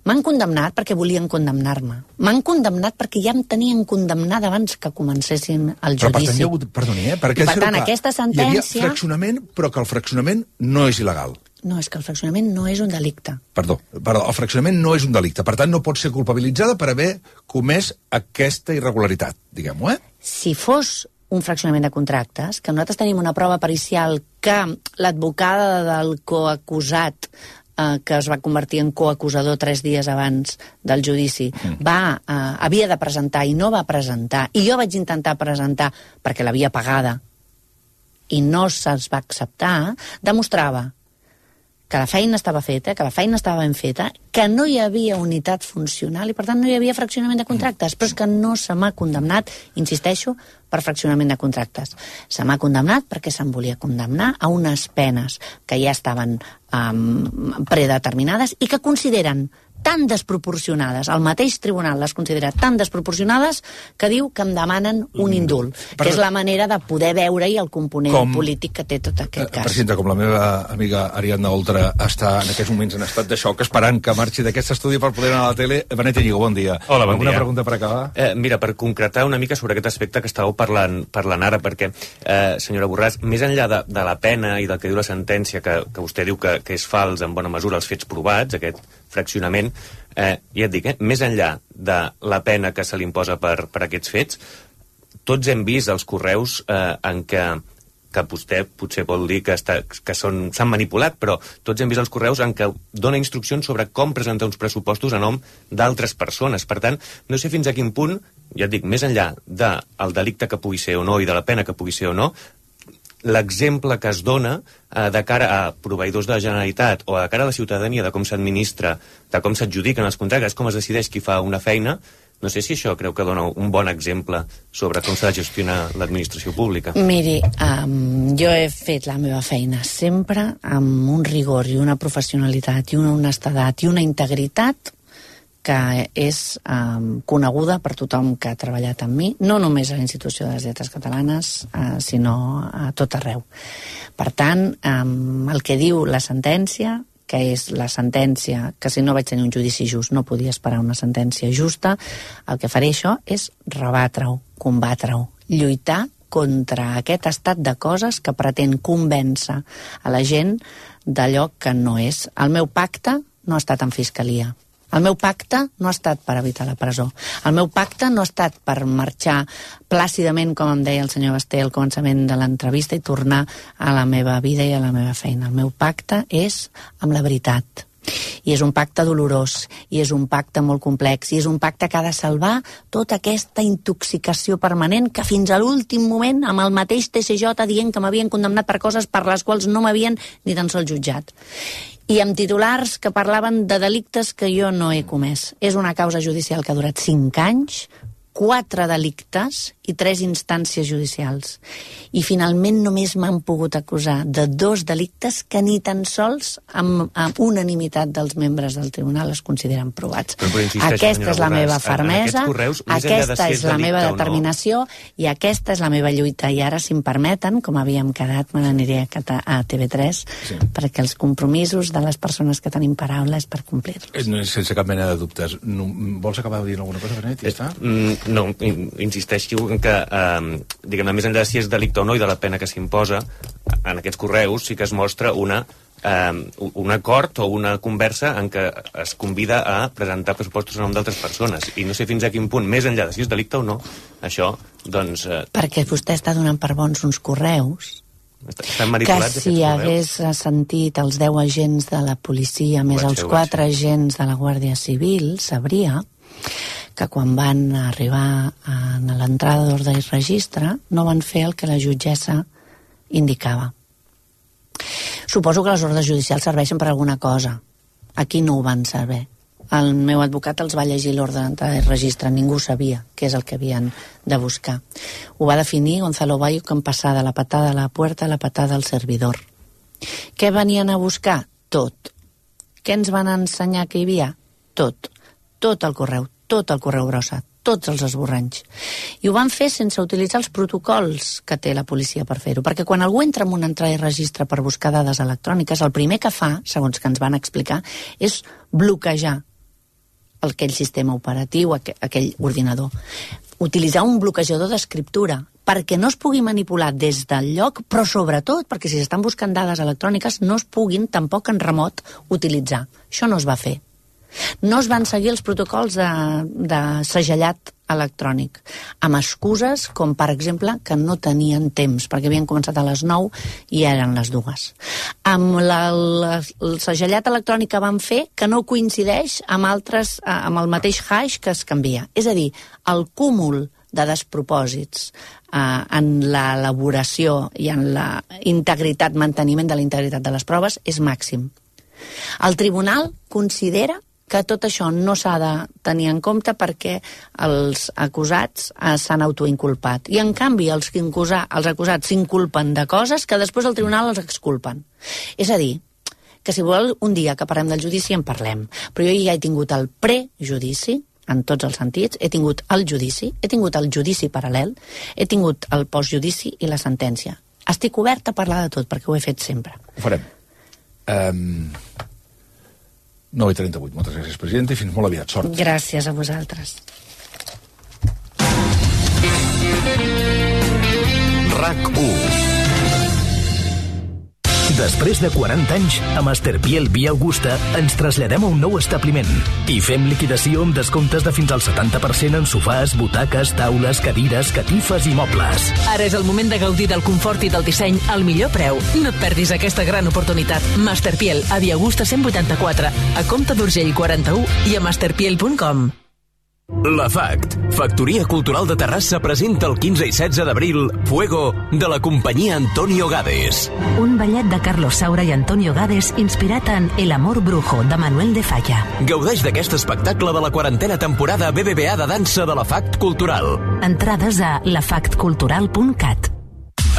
M'han condemnat perquè volien condemnar-me. M'han condemnat perquè ja em tenien condemnada abans que comencessin el judici. Però per tant, hi ha hagut, perdoni, eh? Perquè, per tant, aquesta sentència... Hi havia fraccionament, però que el fraccionament no és il·legal. No, és que el fraccionament no és un delicte. Perdó, perdó, el fraccionament no és un delicte. Per tant, no pot ser culpabilitzada per haver comès aquesta irregularitat, diguem-ho, eh? Si fos un fraccionament de contractes, que nosaltres tenim una prova pericial que l'advocada del coacusat que es va convertir en coacusador tres dies abans del judici, mm. va, eh, havia de presentar i no va presentar, i jo vaig intentar presentar perquè l'havia pagada i no se'ls va acceptar, demostrava que la feina estava feta, que la feina estava ben feta, que no hi havia unitat funcional i per tant no hi havia fraccionament de contractes, però és que no se m'ha condemnat, insisteixo, per fraccionament de contractes. Se m'ha condemnat perquè se'm volia condemnar a unes penes que ja estaven um, predeterminades i que consideren tan desproporcionades, el mateix tribunal les considera tan desproporcionades que diu que em demanen un indult, per... que és la manera de poder veure-hi el component com... polític que té tot aquest cas. Presidenta, com la meva amiga Ariadna Oltra està en aquests moments en estat de xoc esperant que marxi d'aquest estudi per poder anar a la tele. Benet Íñigo, bon dia. Hola, bon Alguna dia. pregunta per acabar? Eh, mira, per concretar una mica sobre aquest aspecte que estàveu parlant, parlant ara, perquè, eh, senyora Borràs, més enllà de, de la pena i del que diu la sentència, que, que vostè diu que, que és fals en bona mesura els fets provats, aquest fraccionament, eh, ja et dic, eh, més enllà de la pena que se li imposa per, per aquests fets, tots hem vist els correus eh, en què, que vostè potser vol dir que, està, que són, s'han manipulat, però tots hem vist els correus en què dona instruccions sobre com presentar uns pressupostos a nom d'altres persones. Per tant, no sé fins a quin punt, ja et dic, més enllà del delicte que pugui ser o no i de la pena que pugui ser o no, l'exemple que es dona eh, de cara a proveïdors de la Generalitat o de cara a la ciutadania de com s'administra, de com s'adjudiquen els contractes, com es decideix qui fa una feina, no sé si això creu que dona un bon exemple sobre com s'ha de gestionar l'administració pública. Miri, um, jo he fet la meva feina sempre amb un rigor i una professionalitat i una honestedat i una integritat que és um, coneguda per tothom que ha treballat amb mi, no només a la Institució de les Lletres Catalanes, uh, sinó a tot arreu. Per tant, um, el que diu la sentència que és la sentència, que si no vaig tenir un judici just no podia esperar una sentència justa, el que faré això és rebatre-ho, combatre-ho, lluitar contra aquest estat de coses que pretén convèncer a la gent d'allò que no és. El meu pacte no ha estat en fiscalia. El meu pacte no ha estat per evitar la presó. El meu pacte no ha estat per marxar plàcidament, com em deia el senyor Basté al començament de l'entrevista, i tornar a la meva vida i a la meva feina. El meu pacte és amb la veritat. I és un pacte dolorós, i és un pacte molt complex, i és un pacte que ha de salvar tota aquesta intoxicació permanent que fins a l'últim moment, amb el mateix T C J dient que m'havien condemnat per coses per les quals no m'havien ni tan sols jutjat. I amb titulars que parlaven de delictes que jo no he comès. És una causa judicial que ha durat cinc anys, quatre delictes i tres instàncies judicials. I finalment només m'han pogut acusar de dos delictes que ni tan sols amb, amb unanimitat dels membres del tribunal es consideren provats. Però, però aquesta és la Borràs, meva fermesa, correus, aquesta si és, és la meva no. determinació i aquesta és la meva lluita. I ara, si em permeten, com havíem quedat, me n'aniré a T V tres, sí. perquè els compromisos de les persones que tenim paraula és per complir-los. Sense cap mena de dubtes. No, vols acabar dient alguna cosa, Benet? Ja està? Mm, no, insisteixo en que, eh, diguem-ne, més enllà de si és delicte o no i de la pena que s'imposa, en aquests correus sí que es mostra una, eh, un acord o una conversa en què es convida a presentar pressupostos en nom d'altres persones. I no sé fins a quin punt, més enllà de si és delicte o no, això, doncs... Eh... Perquè vostè està donant per bons uns correus que si hagués sentit els deu agents de la policia més els quatre agents de la Guàrdia Civil, sabria que quan van arribar a l'entrada d'ordre i registre no van fer el que la jutgessa indicava. Suposo que les ordres judicials serveixen per alguna cosa. Aquí no ho van saber. El meu advocat els va llegir l'ordre d'entrada i registre. Ningú sabia què és el que havien de buscar. Ho va definir Gonzalo Bayo com passar de la patada a la puerta a la patada al servidor. Què venien a buscar? Tot. Què ens van ensenyar que hi havia? Tot. Tot el correu, tot el correu brossa, tots els esborranys. I ho van fer sense utilitzar els protocols que té la policia per fer-ho, perquè quan algú entra en una entrada i registre per buscar dades electròniques, el primer que fa, segons que ens van explicar, és bloquejar aquell sistema operatiu, aquell ordinador. Utilitzar un bloquejador d'escriptura perquè no es pugui manipular des del lloc, però sobretot perquè si s'estan buscant dades electròniques no es puguin tampoc en remot utilitzar. Això no es va fer. No es van seguir els protocols de, de segellat electrònic, amb excuses com, per exemple, que no tenien temps, perquè havien començat a les nou i eren les dues. Amb la, la, el segellat electrònic que van fer que no coincideix amb, altres, amb el mateix hash que es canvia. És a dir, el cúmul de despropòsits eh, en l'elaboració i en la integritat, manteniment de la integritat de les proves és màxim. El tribunal considera que tot això no s'ha de tenir en compte perquè els acusats eh, s'han autoinculpat. I, en canvi, els, que incusa, els acusats s'inculpen de coses que després el tribunal els exculpen. És a dir, que si vol un dia que parlem del judici en parlem. Però jo ja he tingut el prejudici, en tots els sentits, he tingut el judici, he tingut el judici paral·lel, he tingut el postjudici i la sentència. Estic oberta a parlar de tot, perquè ho he fet sempre. Ho farem. Um... nou i trenta-vuit. Moltes gràcies, presidenta, i fins molt aviat. Sort. Gràcies a vosaltres. RAC u. Després de quaranta anys, a Masterpiel Via Augusta ens traslladem a un nou establiment i fem liquidació amb descomptes de fins al setanta per cent en sofàs, butaques, taules, cadires, catifes i mobles. Ara és el moment de gaudir del confort i del disseny al millor preu. No et perdis aquesta gran oportunitat. Masterpiel, a Via Augusta cent vuitanta-quatre, a Comte d'Urgell quaranta-u i a masterpiel punt com. La FACT, Factoria Cultural de Terrassa, presenta el quinze i setze d'abril Fuego, de la companyia Antonio Gades. Un ballet de Carlos Saura i Antonio Gades inspirat en El amor brujo, de Manuel de Falla. Gaudeix d'aquest espectacle de la quarantena temporada B B V A de dansa de la FACT Cultural. Entrades a la fact cultural punt cat.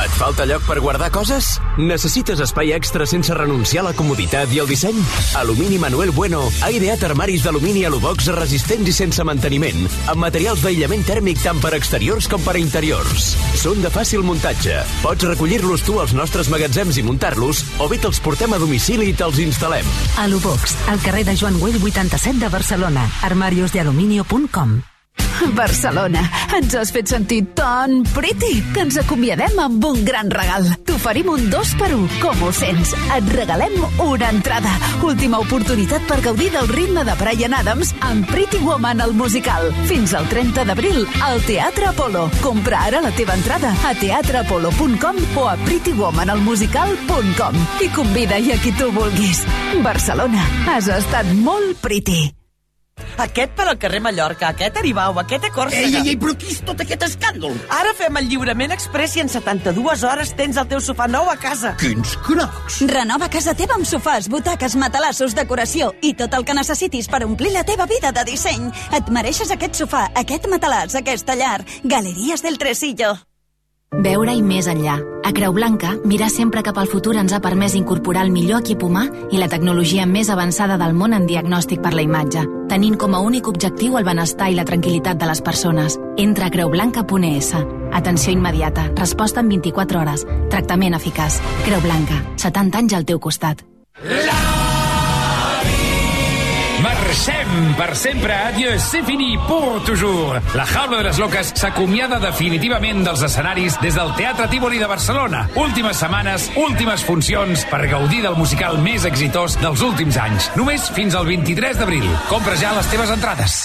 Et falta lloc per guardar coses? Necessites espai extra sense renunciar a la comoditat i el disseny? Alumini Manuel Bueno ha ideat armaris d'alumini Alubox resistents i sense manteniment, amb materials d'aïllament tèrmic tant per exteriors com per interiors. Són de fàcil muntatge. Pots recollir-los tu als nostres magatzems i muntar-los, o bé te'ls portem a domicili i te'ls instal·lem. Alubox, al carrer de Joan Güell vuitanta-set de Barcelona. armarios de aluminio punt com. Barcelona, ens has fet sentir tan pretty que ens acomiadem amb un gran regal. T'oferim un dos per un, com ho sents? Et regalem una entrada. Última oportunitat per gaudir del ritme de Bryan Adams amb Pretty Woman al musical. Fins al trenta d'abril, al Teatre Apolo. Compra ara la teva entrada a teatre apolo punt com o a pretty woman al musical punt com i convida-hi a qui tu vulguis. Barcelona, has estat molt pretty. Aquest per al carrer Mallorca, aquest Aribau, aquest a Còrsega... Ei, ei, ei, però qui és tot aquest escàndol? Ara fem el lliurament express i en setanta-dues hores tens el teu sofà nou a casa. Quins cracs! Renova casa teva amb sofàs, butaques, matalassos, decoració i tot el que necessitis per omplir la teva vida de disseny. Et mereixes aquest sofà, aquest matalàs, aquesta llar. Galeries del Tresillo. Veure-hi més enllà. A Creu Blanca, mirar sempre cap al futur ens ha permès incorporar el millor equip humà i la tecnologia més avançada del món en diagnòstic per la imatge, tenint com a únic objectiu el benestar i la tranquil·litat de les persones. Entra a creu blanca punt es. Atenció immediata, resposta en vint-i-quatre hores, tractament eficaç. Creu Blanca, setanta anys al teu costat. Marxem per sempre, adieu, c'est fini pour toujours. La Jaula de les Loques s'acomiada definitivament dels escenaris des del Teatre Tívoli de Barcelona. Últimes setmanes, últimes funcions per gaudir del musical més exitós dels últims anys. Només fins al vint-i-tres d'abril. Compra ja les teves entrades.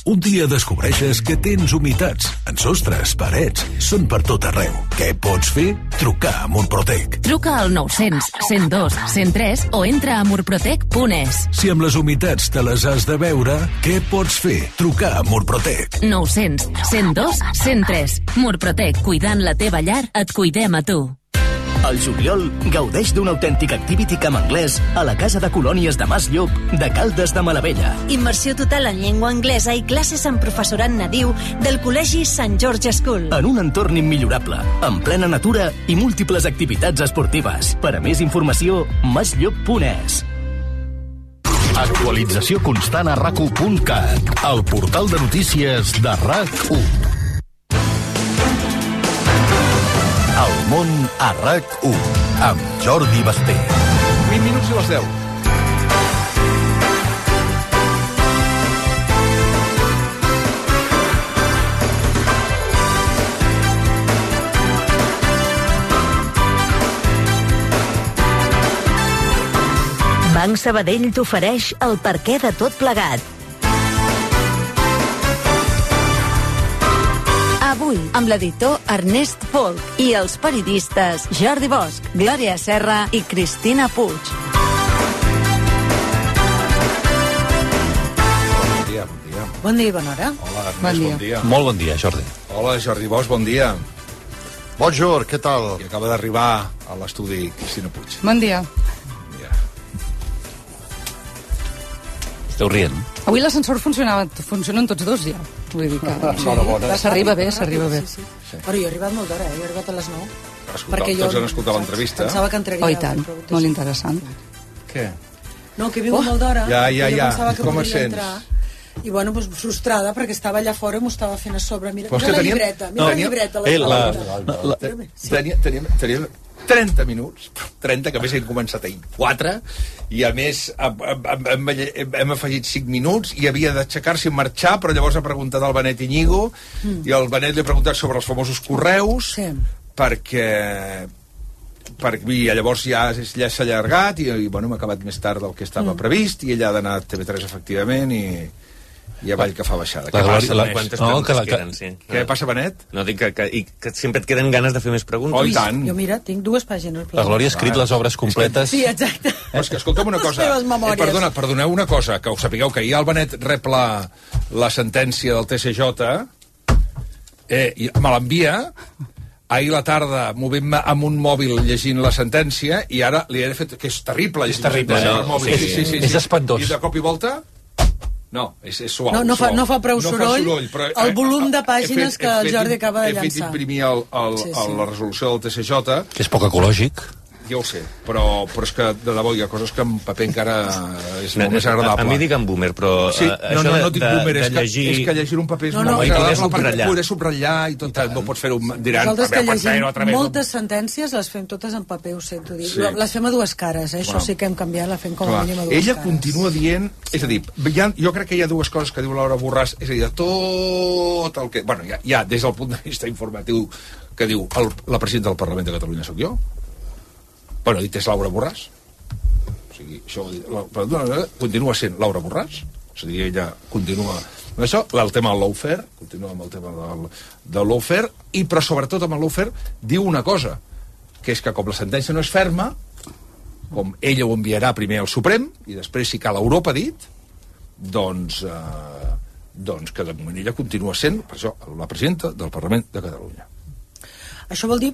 Un dia descobreixes que tens humitats en sostres, parets, són per tot arreu. Què pots fer? Trucar a Murprotec. Truca al nou-cents, cent dos, cent tres o entra a murprotec punt es. Si amb les humitats te les has de veure, què pots fer? Trucar a Murprotec. nou-cents, cent dos, cent tres. Murprotec, cuidant la teva llar, et cuidem a tu. Al juliol, gaudeix d'un autèntic activity camp anglès a la Casa de Colònies de Mas Llop de Caldes de Malavella. Immersió total en llengua anglesa i classes amb professorat nadiu del Col·legi Sant George School. En un entorn immillorable, en plena natura i múltiples activitats esportives. Per a més informació, masllop punt es. Actualització constant a rac u punt cat, el portal de notícies de RAC u. El món a RAC u, amb Jordi Basté. vint minuts i les deu. Banc Sabadell t'ofereix el perquè de tot plegat. Avui, amb l'editor Ernest Folk i els periodistes Jordi Bosch, Glòria Serra i Cristina Puig. Bon dia, bon dia. Bon dia i bona hora. Hola, Ernest, Bon dia. bon dia. Molt bon dia, Jordi. Hola, Jordi Bosch, bon dia. Bonjour, què tal? I acaba d'arribar a l'estudi Cristina Puig. Bon dia. Esteu rient? Avui l'ascensor funcionava, funcionen tots dos ja. Vull dir que Enhorabona. s'arriba bé, s'arriba bé. Sí. Però jo he arribat molt d'hora, eh? Jo he arribat a les nou. Escolta, tots han escoltat l'entrevista. Pensava que entraria. Oh, i tant, molt interessant. Què? No, que he vingut Oh. molt d'hora. Ja, ja, i jo ja. pensava que Com et podria sents? entrar. I bueno, doncs frustrada, perquè estava allà fora i m'ho estava fent a sobre. Mira, Però és mira que la teníem- llibreta, mira no, la teníem- llibreta. Eh, la- llibreta. la- Teníem, teníem, teníem trenta minuts, trenta, que a més hem començat ahir quatre, i a més hem, hem, hem, hem, hem afegit cinc minuts i havia d'aixecar-se i marxar, però llavors ha preguntat al Benet Iñigo, Mm. i el Benet li ha preguntat sobre els famosos correus, Sí. perquè per, i llavors ja, ja s'ha allargat i, i bueno, hem acabat més tard del que estava Mm. previst, i ella ha d'anar a T V tres efectivament, i i avall que fa baixada. La Què Glòria- passa, la- Benet? quantes preguntes que la- queden, sí. Què passa, Benet? No, dic que, que, i que sempre et queden ganes de fer més preguntes. Oh, i tant. Jo, mira, tinc dues pàgines. La Glòria ha escrit les obres completes. Sí, exacte. És que, escolta'm una Les cosa. teves memòries. Eh, perdona, perdoneu una cosa, que ho sapigueu, que ahir el Benet rep la, la sentència del T C J, eh, i me l'envia, ahir a la tarda movent-me amb un mòbil llegint la sentència, i ara li he fet, que és terrible. És terrible, llegir la no? sentència per mòbil. Sí, sí, sí, és espantós. I de cop i volta... No, és, és suau. No, no, fa, no fa prou no soroll, fa soroll però, el volum de pàgines fet, que el Jordi acaba de llançar. He fet imprimir el, el, sí, sí. la resolució del T C J. Que és poc ecològic. Ja ho sé, però, però és que de debò hi ha coses que en paper encara és molt no, més agradable. A, a mi digue'm boomer, però sí, uh, no, no, no dic boomer, de, és, que, llegir... és que llegir un paper és no, molt no, més agradable perquè perquè poder subratllar i tot, I no pots fer-ho, diran... Nosaltres que llegim moltes sentències les fem totes en paper, ho sento dir. Sí. Les fem a dues cares, eh? Això bueno, sí que hem canviat, la fem com a mínim a dues ella cares. Ella continua dient... És a dir, ha, jo crec que hi ha dues coses que diu Laura Borràs, és a dir, de tot el que... Bueno, ja, ja des del punt de vista informatiu que diu el, la presidenta del Parlament de Catalunya sóc jo. Bueno, dit és Laura Borràs. O sigui, això la, continua sent Laura Borràs, és a dir, ella continua amb això, el tema del lawfare, continua amb el tema del, del lawfare, i però sobretot amb el lawfare diu una cosa, que és que com la sentència no és ferma, com ella ho enviarà primer al Suprem, i després si cal Europa, ha dit, doncs, eh, doncs que de moment ella continua sent, per això, la presidenta del Parlament de Catalunya. Això vol dir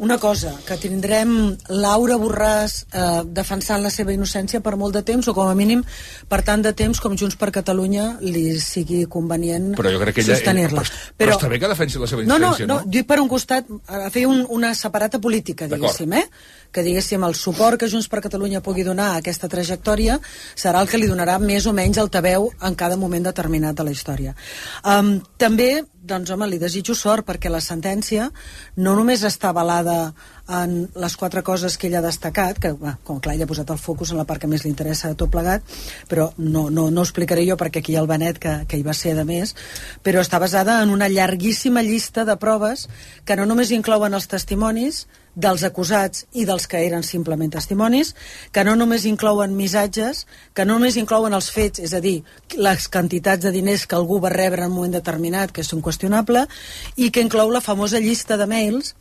una cosa, que tindrem Laura Borràs eh, defensant la seva innocència per molt de temps, o com a mínim per tant de temps com Junts per Catalunya li sigui convenient sostenir-la. Però, però, però està bé que defensi la seva innocència, no? No, no, dic per un costat, a fer un, una separata política, diguéssim, eh? Que diguéssim el suport que Junts per Catalunya pugui donar a aquesta trajectòria serà el que li donarà més o menys altaveu en cada moment determinat de la història. Um, també, doncs home, li desitjo sort, perquè la sentència no només està avalada en les quatre coses que ell ha destacat, que, bueno, com clar, ell ha posat el focus en la part que més li interessa de tot plegat, però no, no, no ho explicaré jo perquè aquí hi ha el Benet, que, que hi va ser de més, però està basada en una llarguíssima llista de proves que no només inclouen els testimonis dels acusats i dels que eren simplement testimonis, que no només inclouen missatges, que no només inclouen els fets, és a dir, les quantitats de diners que algú va rebre en un moment determinat, que és inqüestionable, i que inclou la famosa llista de mails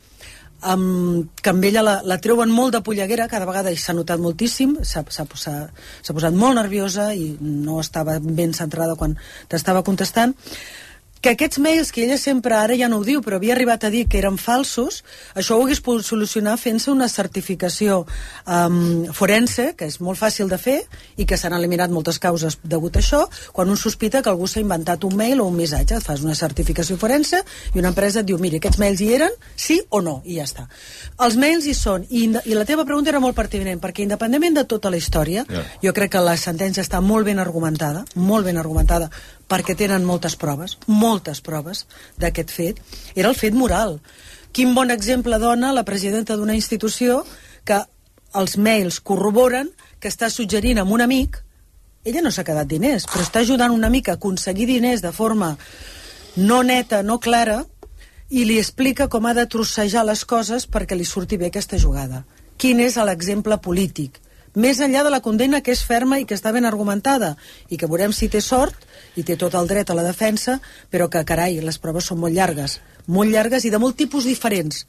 Um, que amb ella la, la treuen molt de polleguera, cada vegada i s'ha notat moltíssim, s'ha posat molt nerviosa i no estava ben centrada quan t'estava contestant, que aquests mails que ella sempre, ara ja no ho diu, però havia arribat a dir que eren falsos, això ho hagués pogut solucionar fent-se una certificació um, forense, que és molt fàcil de fer i que s'han eliminat moltes causes degut a això, quan un sospita que algú s'ha inventat un mail o un missatge, et fas una certificació forense i una empresa et diu, mira, aquests mails hi eren, sí o no, i ja està. Els mails hi són, i, i la teva pregunta era molt pertinent, perquè independentment de tota la història, yeah. jo crec que la sentència està molt ben argumentada, molt ben argumentada, perquè tenen moltes proves, moltes proves d'aquest fet. Era el fet moral. Quin bon exemple dona la presidenta d'una institució que els mails corroboren que està suggerint a un amic, ella no s'ha quedat diners, però està ajudant un amic a aconseguir diners de forma no neta, no clara, i li explica com ha de trossejar les coses perquè li surti bé aquesta jugada. Quin és l'exemple polític? Més enllà de la condemna, que és ferma i que està ben argumentada, i que veurem si té sort i té tot el dret a la defensa, però que, carai, les proves són molt llargues, molt llargues i de molt tipus diferents,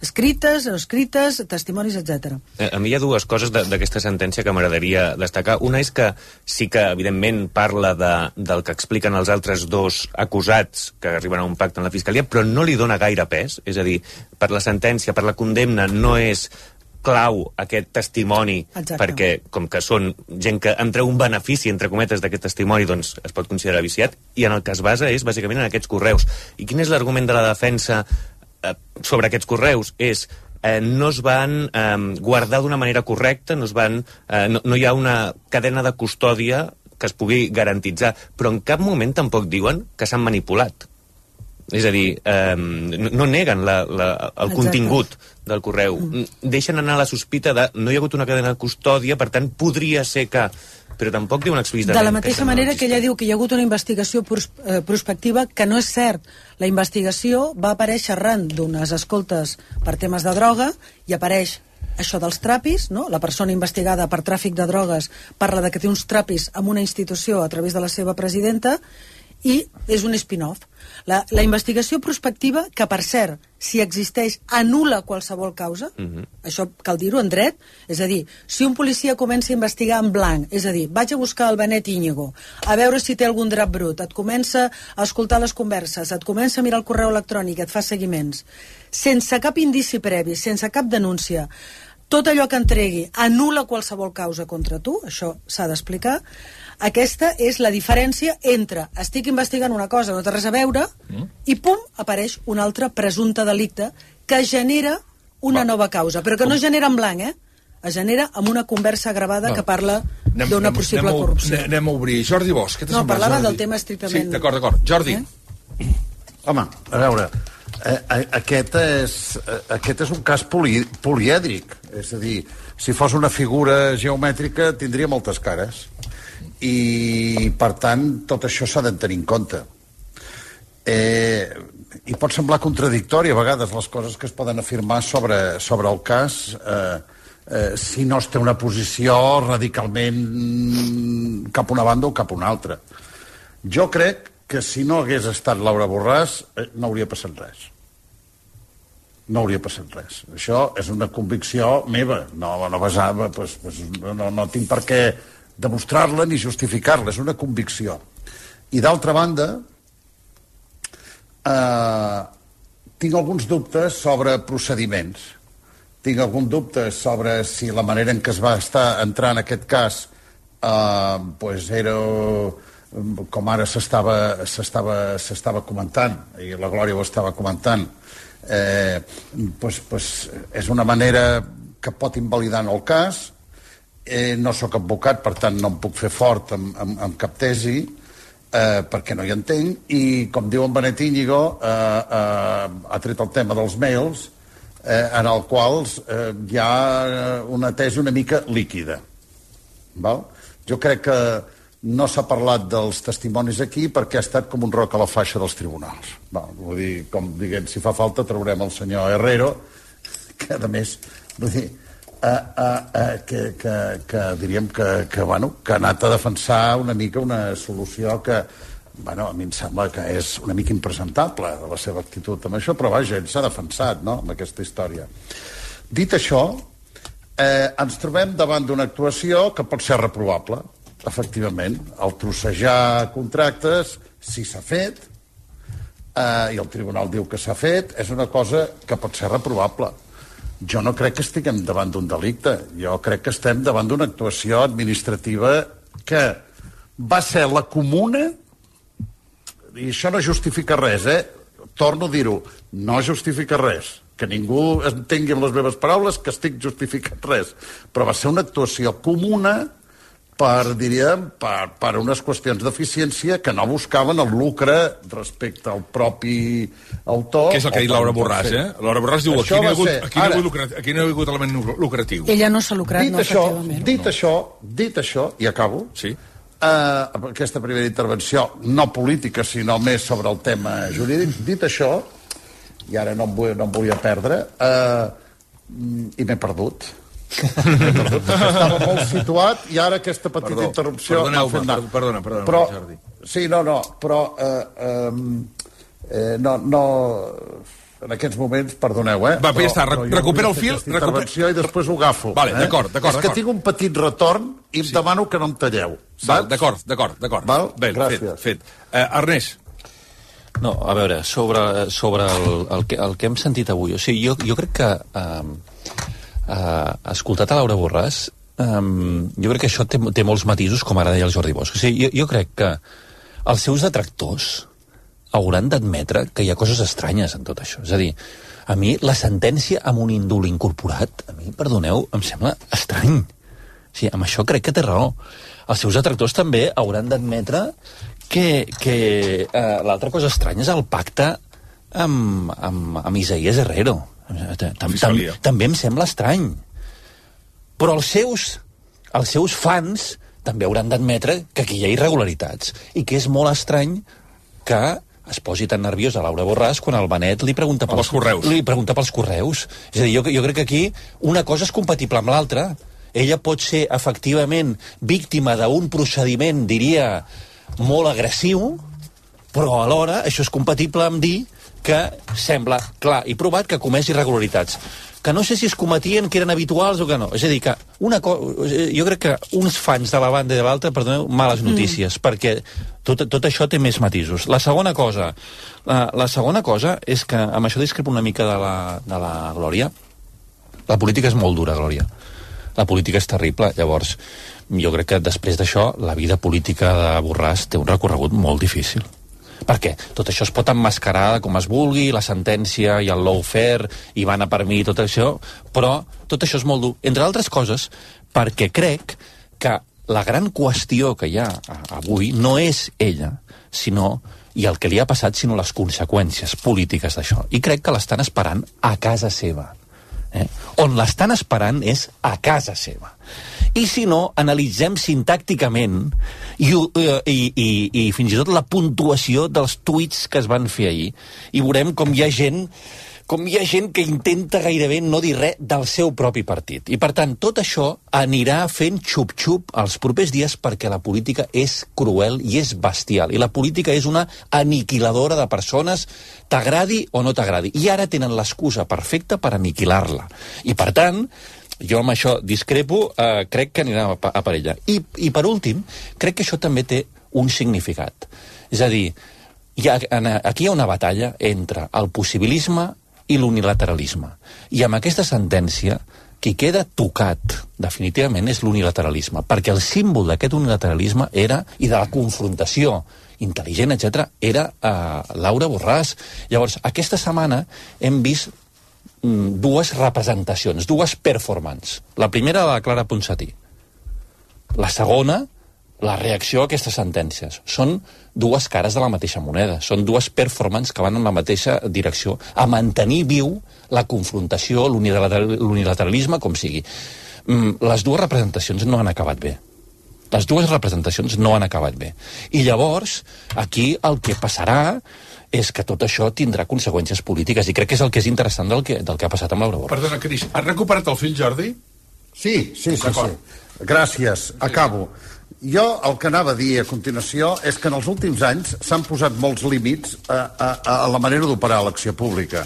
escrites, no escrites, testimonis, etcètera. A mi hi ha dues coses d'aquesta sentència que m'agradaria destacar. Una és que sí que, evidentment, parla de, del que expliquen els altres dos acusats que arriben a un pacte en la Fiscalia, però no li dona gaire pes. És a dir, per la sentència, per la condemna, no és clau aquest testimoni. Exacte. Perquè com que són gent que en treu un benefici, entre cometes, d'aquest testimoni, doncs es pot considerar viciat, i en el que es basa és bàsicament en aquests correus. I quin és l'argument de la defensa eh, sobre aquests correus? És eh, no es van eh, guardar d'una manera correcta, no, es van, eh, no, no hi ha una cadena de custòdia que es pugui garantitzar, però en cap moment tampoc diuen que s'han manipulat. És a dir, eh, no neguen la, la, el Exacte. Contingut del correu. Mm. Deixen anar la sospita de no hi ha hagut una cadena de custòdia, per tant, podria ser que... Però tampoc diuen explícitament... De la mateixa manera que ella diu que hi ha hagut una investigació pros, eh, prospectiva, que no és cert. La investigació va aparèixer arran d'unes escoltes per temes de droga i apareix això dels trapis, no? La persona investigada per tràfic de drogues parla de que té uns trapis en una institució a través de la seva presidenta i és un spin-off. La, la investigació prospectiva, que per cert, si existeix, anul·la qualsevol causa, uh-huh. això cal dir-ho en dret, és a dir, si un policia comença a investigar en blanc, és a dir, vaig a buscar el Benet Íñigo, a veure si té algun drap brut, et comença a escoltar les converses, et comença a mirar el correu electrònic, et fa seguiments, sense cap indici previ, sense cap denúncia, tot allò que entregui anul·la qualsevol causa contra tu, això s'ha d'explicar. Aquesta és la diferència entre estic investigant una cosa, no té res a veure, mm. i pum, apareix un altre presumpte delicte que genera una Va. nova causa, però que no genera en blanc, eh? Es genera amb una conversa gravada Va. que parla d'una possible anem, corrupció. Anem, anem a obrir. Jordi Bosch, què t'ha No, semblat, parlava Jordi? del tema estrictament... Sí, d'acord, d'acord. Jordi. Eh? Home, a veure, eh, aquest, és, eh, aquest és un cas poli, polièdric. És a dir, si fos una figura geomètrica tindria moltes cares. I, per tant, tot això s'ha de tenir en compte. Eh, I pot semblar contradictori a vegades les coses que es poden afirmar sobre, sobre el cas... Eh, Eh, si no es té una posició radicalment cap una banda o cap una altra. Jo crec que si no hagués estat Laura Borràs eh, no hauria passat res. No hauria passat res. Això és una convicció meva. No, no basava, pues, pues, no, no tinc per què demostrar-la ni justificar-la. És una convicció. I d'altra banda, eh, tinc alguns dubtes sobre procediments. Tinc algun dubte sobre si la manera en què es va estar entrant en aquest cas eh, pues era com ara s'estava s'estava s'estava comentant, i la Glòria ho estava comentant, eh, pues, pues és una manera que pot invalidar en el cas. Eh, no sóc advocat, per tant no em puc fer fort amb, amb, amb cap tesi, eh, perquè no hi entenc, i com diu en Benet Íñigo, eh, eh, ha tret el tema dels mails, Eh, en el qual eh, hi ha una tesi una mica líquida. Val? Jo crec que no s'ha parlat dels testimonis aquí perquè ha estat com un roc a la faixa dels tribunals. Val? Vull dir, com diguem, si fa falta traurem el senyor Herrero, que a més, vull dir, eh, eh, eh, que, que, que diríem que, que, bueno, que ha anat a defensar una mica una solució que, bueno, a mi em sembla que és una mica impresentable de la seva actitud amb això, però vaja, ell s'ha defensat, no?, amb aquesta història. Dit això, eh, ens trobem davant d'una actuació que pot ser reprovable, efectivament. El trossejar contractes, si s'ha fet, eh, i el tribunal diu que s'ha fet, és una cosa que pot ser reprovable. Jo no crec que estiguem davant d'un delicte, jo crec que estem davant d'una actuació administrativa que va ser la comuna. I això no justifica res, eh? Torno a dir-ho, no justifica res. Que ningú entengui amb les meves paraules que estic justificant res. Però va ser una actuació comuna per, diríem, per, per unes qüestions d'eficiència que no buscaven el lucre respecte al propi autor. Que és el que ha dit Laura Borràs, eh? Laura Borràs diu, aquí no, ha hagut, ser, aquí, no ha hagut, aquí no ha hagut element lucratiu. Ella no s'ha lucrat, dit no, això, efectivament. Dit no. això, dit això, i acabo, sí. Uh, aquesta primera intervenció, no política, sinó més sobre el tema jurídic. Dit això, i ara no em, vull, no em volia perdre, uh, i m'he perdut. M'he perdut, estava molt situat, i ara aquesta petita Perdó, interrupció... Perdoneu-me, perdona, perdona, perdona, però, Jordi. Sí, no, no, però... Uh, um, eh, no, no... En aquests moments, perdoneu, eh? Va, però, ja està, però recupera el fil... Intervenció i després ho agafo. Vale, eh? d'acord, d'acord. És que tinc un petit retorn i em sí. demano que no em talleu. D'acord, d'acord, d'acord. Bé, gràcies. Fet, fet. Uh, Ernest. No, a veure, sobre, sobre el, el, que, el que hem sentit avui, o sigui, jo, jo crec que, uh, uh, escoltat a Laura Borràs, um, jo crec que això té, té molts matisos, com ara deia el Jordi Bosch. O sigui, jo, jo crec que els seus detractors hauran d'admetre que hi ha coses estranyes en tot això. És a dir, a mi la sentència amb un índol incorporat, a mi, perdoneu, em sembla estrany. O sigui, amb això crec que té raó. Els seus detractors també hauran d'admetre que, que eh, l'altra cosa estranya és el pacte amb, amb, amb Isaías Herrero. Tam, tam, també em sembla estrany. Però els seus, els seus fans també hauran d'admetre que aquí hi ha irregularitats i que és molt estrany que es posi tan nerviós a Laura Borràs quan el Benet li pregunta pels, correus. Li pregunta pels correus. És a dir, jo, jo crec que aquí una cosa és compatible amb l'altra. Ella pot ser efectivament víctima d'un procediment, diria, molt agressiu, però alhora això és compatible amb dir que sembla clar i provat que comès irregularitats. Que no sé si es cometien, que eren habituals o que no. És a dir, que una co- jo crec que uns fans de la banda i de l'altra, perdoneu, males notícies, mm. perquè tot, tot això té més matisos. La segona cosa, la, la segona cosa és que, amb això discrepo una mica de la, de la Glòria, la política és molt dura, Glòria. La política és terrible, llavors jo crec que després d'això la vida política de Borràs té un recorregut molt difícil. Per què? Tot això es pot emmascarar com es vulgui, la sentència i el lawfare, i van a per mi i tot això, però tot això és molt dur. Entre altres coses, perquè crec que la gran qüestió que hi ha avui no és ella, sinó, i el que li ha passat, sinó les conseqüències polítiques d'això. I crec que l'estan esperant a casa seva. Eh? On l'estan esperant és a casa seva. I si no, analitzem sintàcticament i, i, i, i fins i tot la puntuació dels tuits que es van fer ahir, i veurem com hi ha gent com hi ha gent que intenta gairebé no dir res del seu propi partit. I, per tant, tot això anirà fent xup-xup els propers dies, perquè la política és cruel i és bestial. I la política és una aniquiladora de persones, t'agradi o no t'agradi. I ara tenen l'excusa perfecta per aniquilar-la. I, per tant, jo amb això discrepo, eh, crec que anirà a, a per ella. I, I, per últim, crec que això també té un significat. És a dir, hi ha, aquí hi ha una batalla entre el possibilisme i l'unilateralisme. I amb aquesta sentència, qui queda tocat definitivament és l'unilateralisme, perquè el símbol d'aquest unilateralisme era, i de la confrontació intel·ligent, etcètera, era eh, Laura Borràs. Llavors, aquesta setmana hem vist mm, dues representacions, dues performances. La primera, la de Clara Ponsatí. La segona, la reacció a aquestes sentències. Són dues cares de la mateixa moneda. Són dues performances que van en la mateixa direcció, a mantenir viu la confrontació, l'unilateralisme, com sigui. Les dues representacions no han acabat bé. Les dues representacions no han acabat bé. I llavors, aquí el que passarà és que tot això tindrà conseqüències polítiques, i crec que és el que és interessant del que, del que ha passat amb Laura Borràs. Perdona, Cris, has recuperat el fil, Jordi? Sí, sí, sí, sí. Gràcies, acabo. Jo el que anava a dir a continuació és que en els últims anys s'han posat molts límits a, a, a la manera d'operar l'acció pública.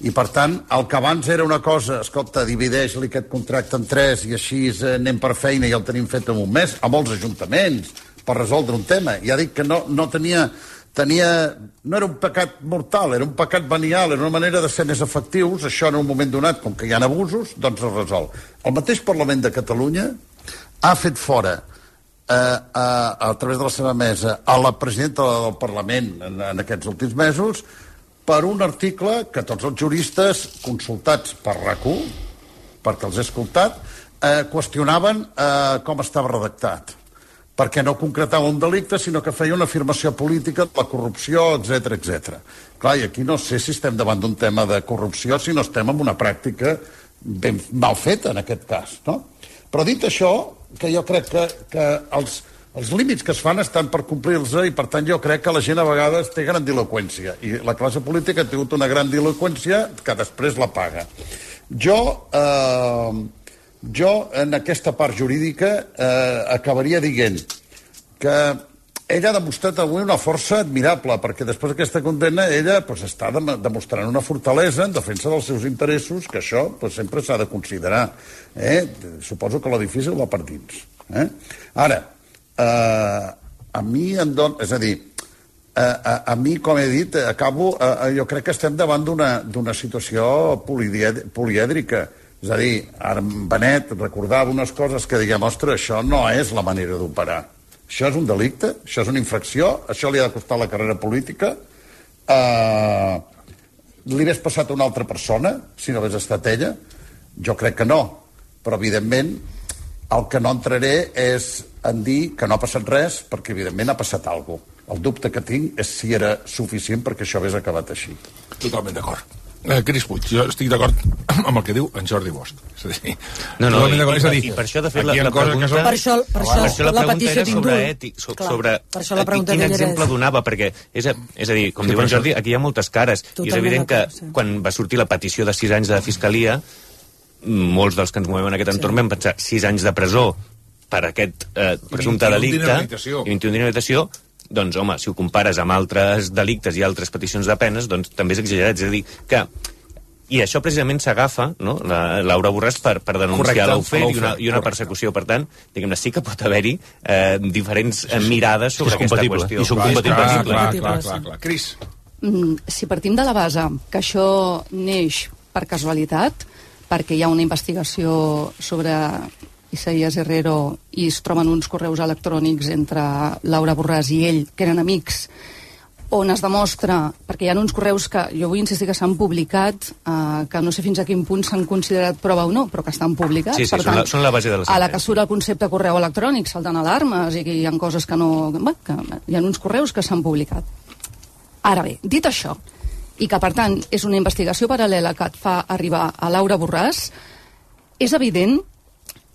I, per tant, el que abans era una cosa, escolta, divideix-li aquest contracte en tres i així anem per feina i el tenim fet en un mes, a molts ajuntaments, per resoldre un tema. Ja dic que no, no tenia, tenia... No era un pecat mortal, era un pecat venial, era una manera de ser més efectius. Això en un moment donat, com que hi ha abusos, doncs es resol. El mateix Parlament de Catalunya ha fet fora A, a, a través de la seva mesa a la presidenta del Parlament en, en aquests últims mesos per un article que tots els juristes consultats per RAC u, perquè els he escoltat, eh, qüestionaven eh, com estava redactat, perquè no concretava un delicte, sinó que feia una afirmació política de la corrupció, etcètera, etcètera. Clar, i aquí no sé si estem davant d'un tema de corrupció, si no estem en una pràctica ben mal feta, en aquest cas, no? Però dit això, que jo crec que, que els, els límits que es fan estan per complir-los, i per tant jo crec que la gent a vegades té gran diloqüència, i la classe política ha tingut una gran diloqüència que després la paga. Jo, eh, jo en aquesta part jurídica eh, acabaria dient que ella ha demostrat avui una força admirable, perquè després d'aquesta condemna ella pues, està dem demostrant una fortalesa en defensa dels seus interessos, que això pues, sempre s'ha de considerar. Eh? Suposo que la difícil va per dins. Eh? Ara, eh, a mi em don... És a dir, eh, a, a mi, com he dit, acabo... Eh, jo crec que estem davant d'una situació polièdrica. És a dir, ara Benet recordava unes coses que diguem, ostres, això no és la manera d'operar. Això és un delicte, això és una infracció, això li ha de costar la carrera política. Uh, li hagués passat a una altra persona, si no hagués estat ella? Jo crec que no, però evidentment el que no entraré és en dir que no ha passat res, perquè evidentment ha passat alguna cosa. El dubte que tinc és si era suficient perquè això hagués acabat així. Totalment d'acord. Eh, Cris Puig, jo estic d'acord amb el que diu en Jordi Bosch. És a dir, no, no, i, és a dir, i per això, de fet, la, la pregunta... Són... Per això, per això, per això la, la pregunta petició era sobre ètic, so, sobre per això la pregunta quin exemple és... donava, perquè, és a, és a dir, com sí, diu en Jordi, aquí hi ha moltes cares, totalment, i és evident que sí. Quan va sortir la petició de sis anys de la Fiscalia, molts dels que ens movem en aquest entorn sí. Vam pensar sis anys de presó per aquest eh, presumpte delicte i vint-i-un d'inhabilitació, doncs, home, si ho compares amb altres delictes i altres peticions de penes, doncs també és exagerat. És a dir, que i això precisament s'agafa, no?, la Laura Borràs per, per denunciar l'Aufer i, una, i una persecució. Per tant, diguem-ne, sí que pot haver-hi eh, diferents eh, mirades sobre aquesta qüestió. I són compatibles. Clar, clar, clar, clar, clar. Cris. Mm, si partim de la base que això neix per casualitat, perquè hi ha una investigació sobre Isaías Herrero, i es troben uns correus electrònics entre Laura Borràs i ell, que eren amics, on es demostra, perquè hi ha uns correus que jo vull insistir que s'han publicat, eh, que no sé fins a quin punt s'han considerat prova o no, però que estan publicats. Sí, sí, per són, tant, la, són la base de la sentència. a la que surt el concepte correu electrònic salten alarmes i que hi ha coses que no... Bé, que hi ha uns correus que s'han publicat. Ara bé, dit això, i que per tant és una investigació paral·lela que et fa arribar a Laura Borràs, és evident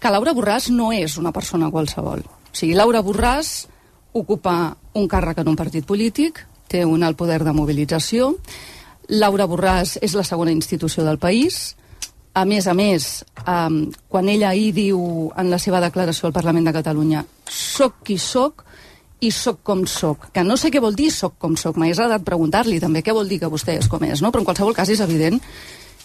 que Laura Borràs no és una persona qualsevol. O sigui, Laura Borràs ocupa un càrrec en un partit polític, té un alt poder de mobilització. Laura Borràs és la segona institució del país. A més a més, eh, quan ella ahir diu en la seva declaració al Parlament de Catalunya «soc qui soc i soc com soc», que no sé què vol dir soc com soc, m'hagués agradat preguntar-li també què vol dir que vostè és com és, no? Però en qualsevol cas és evident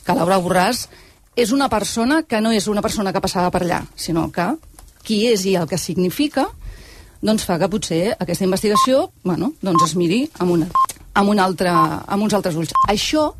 que Laura Borràs és una persona que no és una persona que passava per allà, sinó que qui és i el que significa doncs fa que potser aquesta investigació, bueno, doncs es miri amb, una, amb, un altre, amb uns altres ulls. Això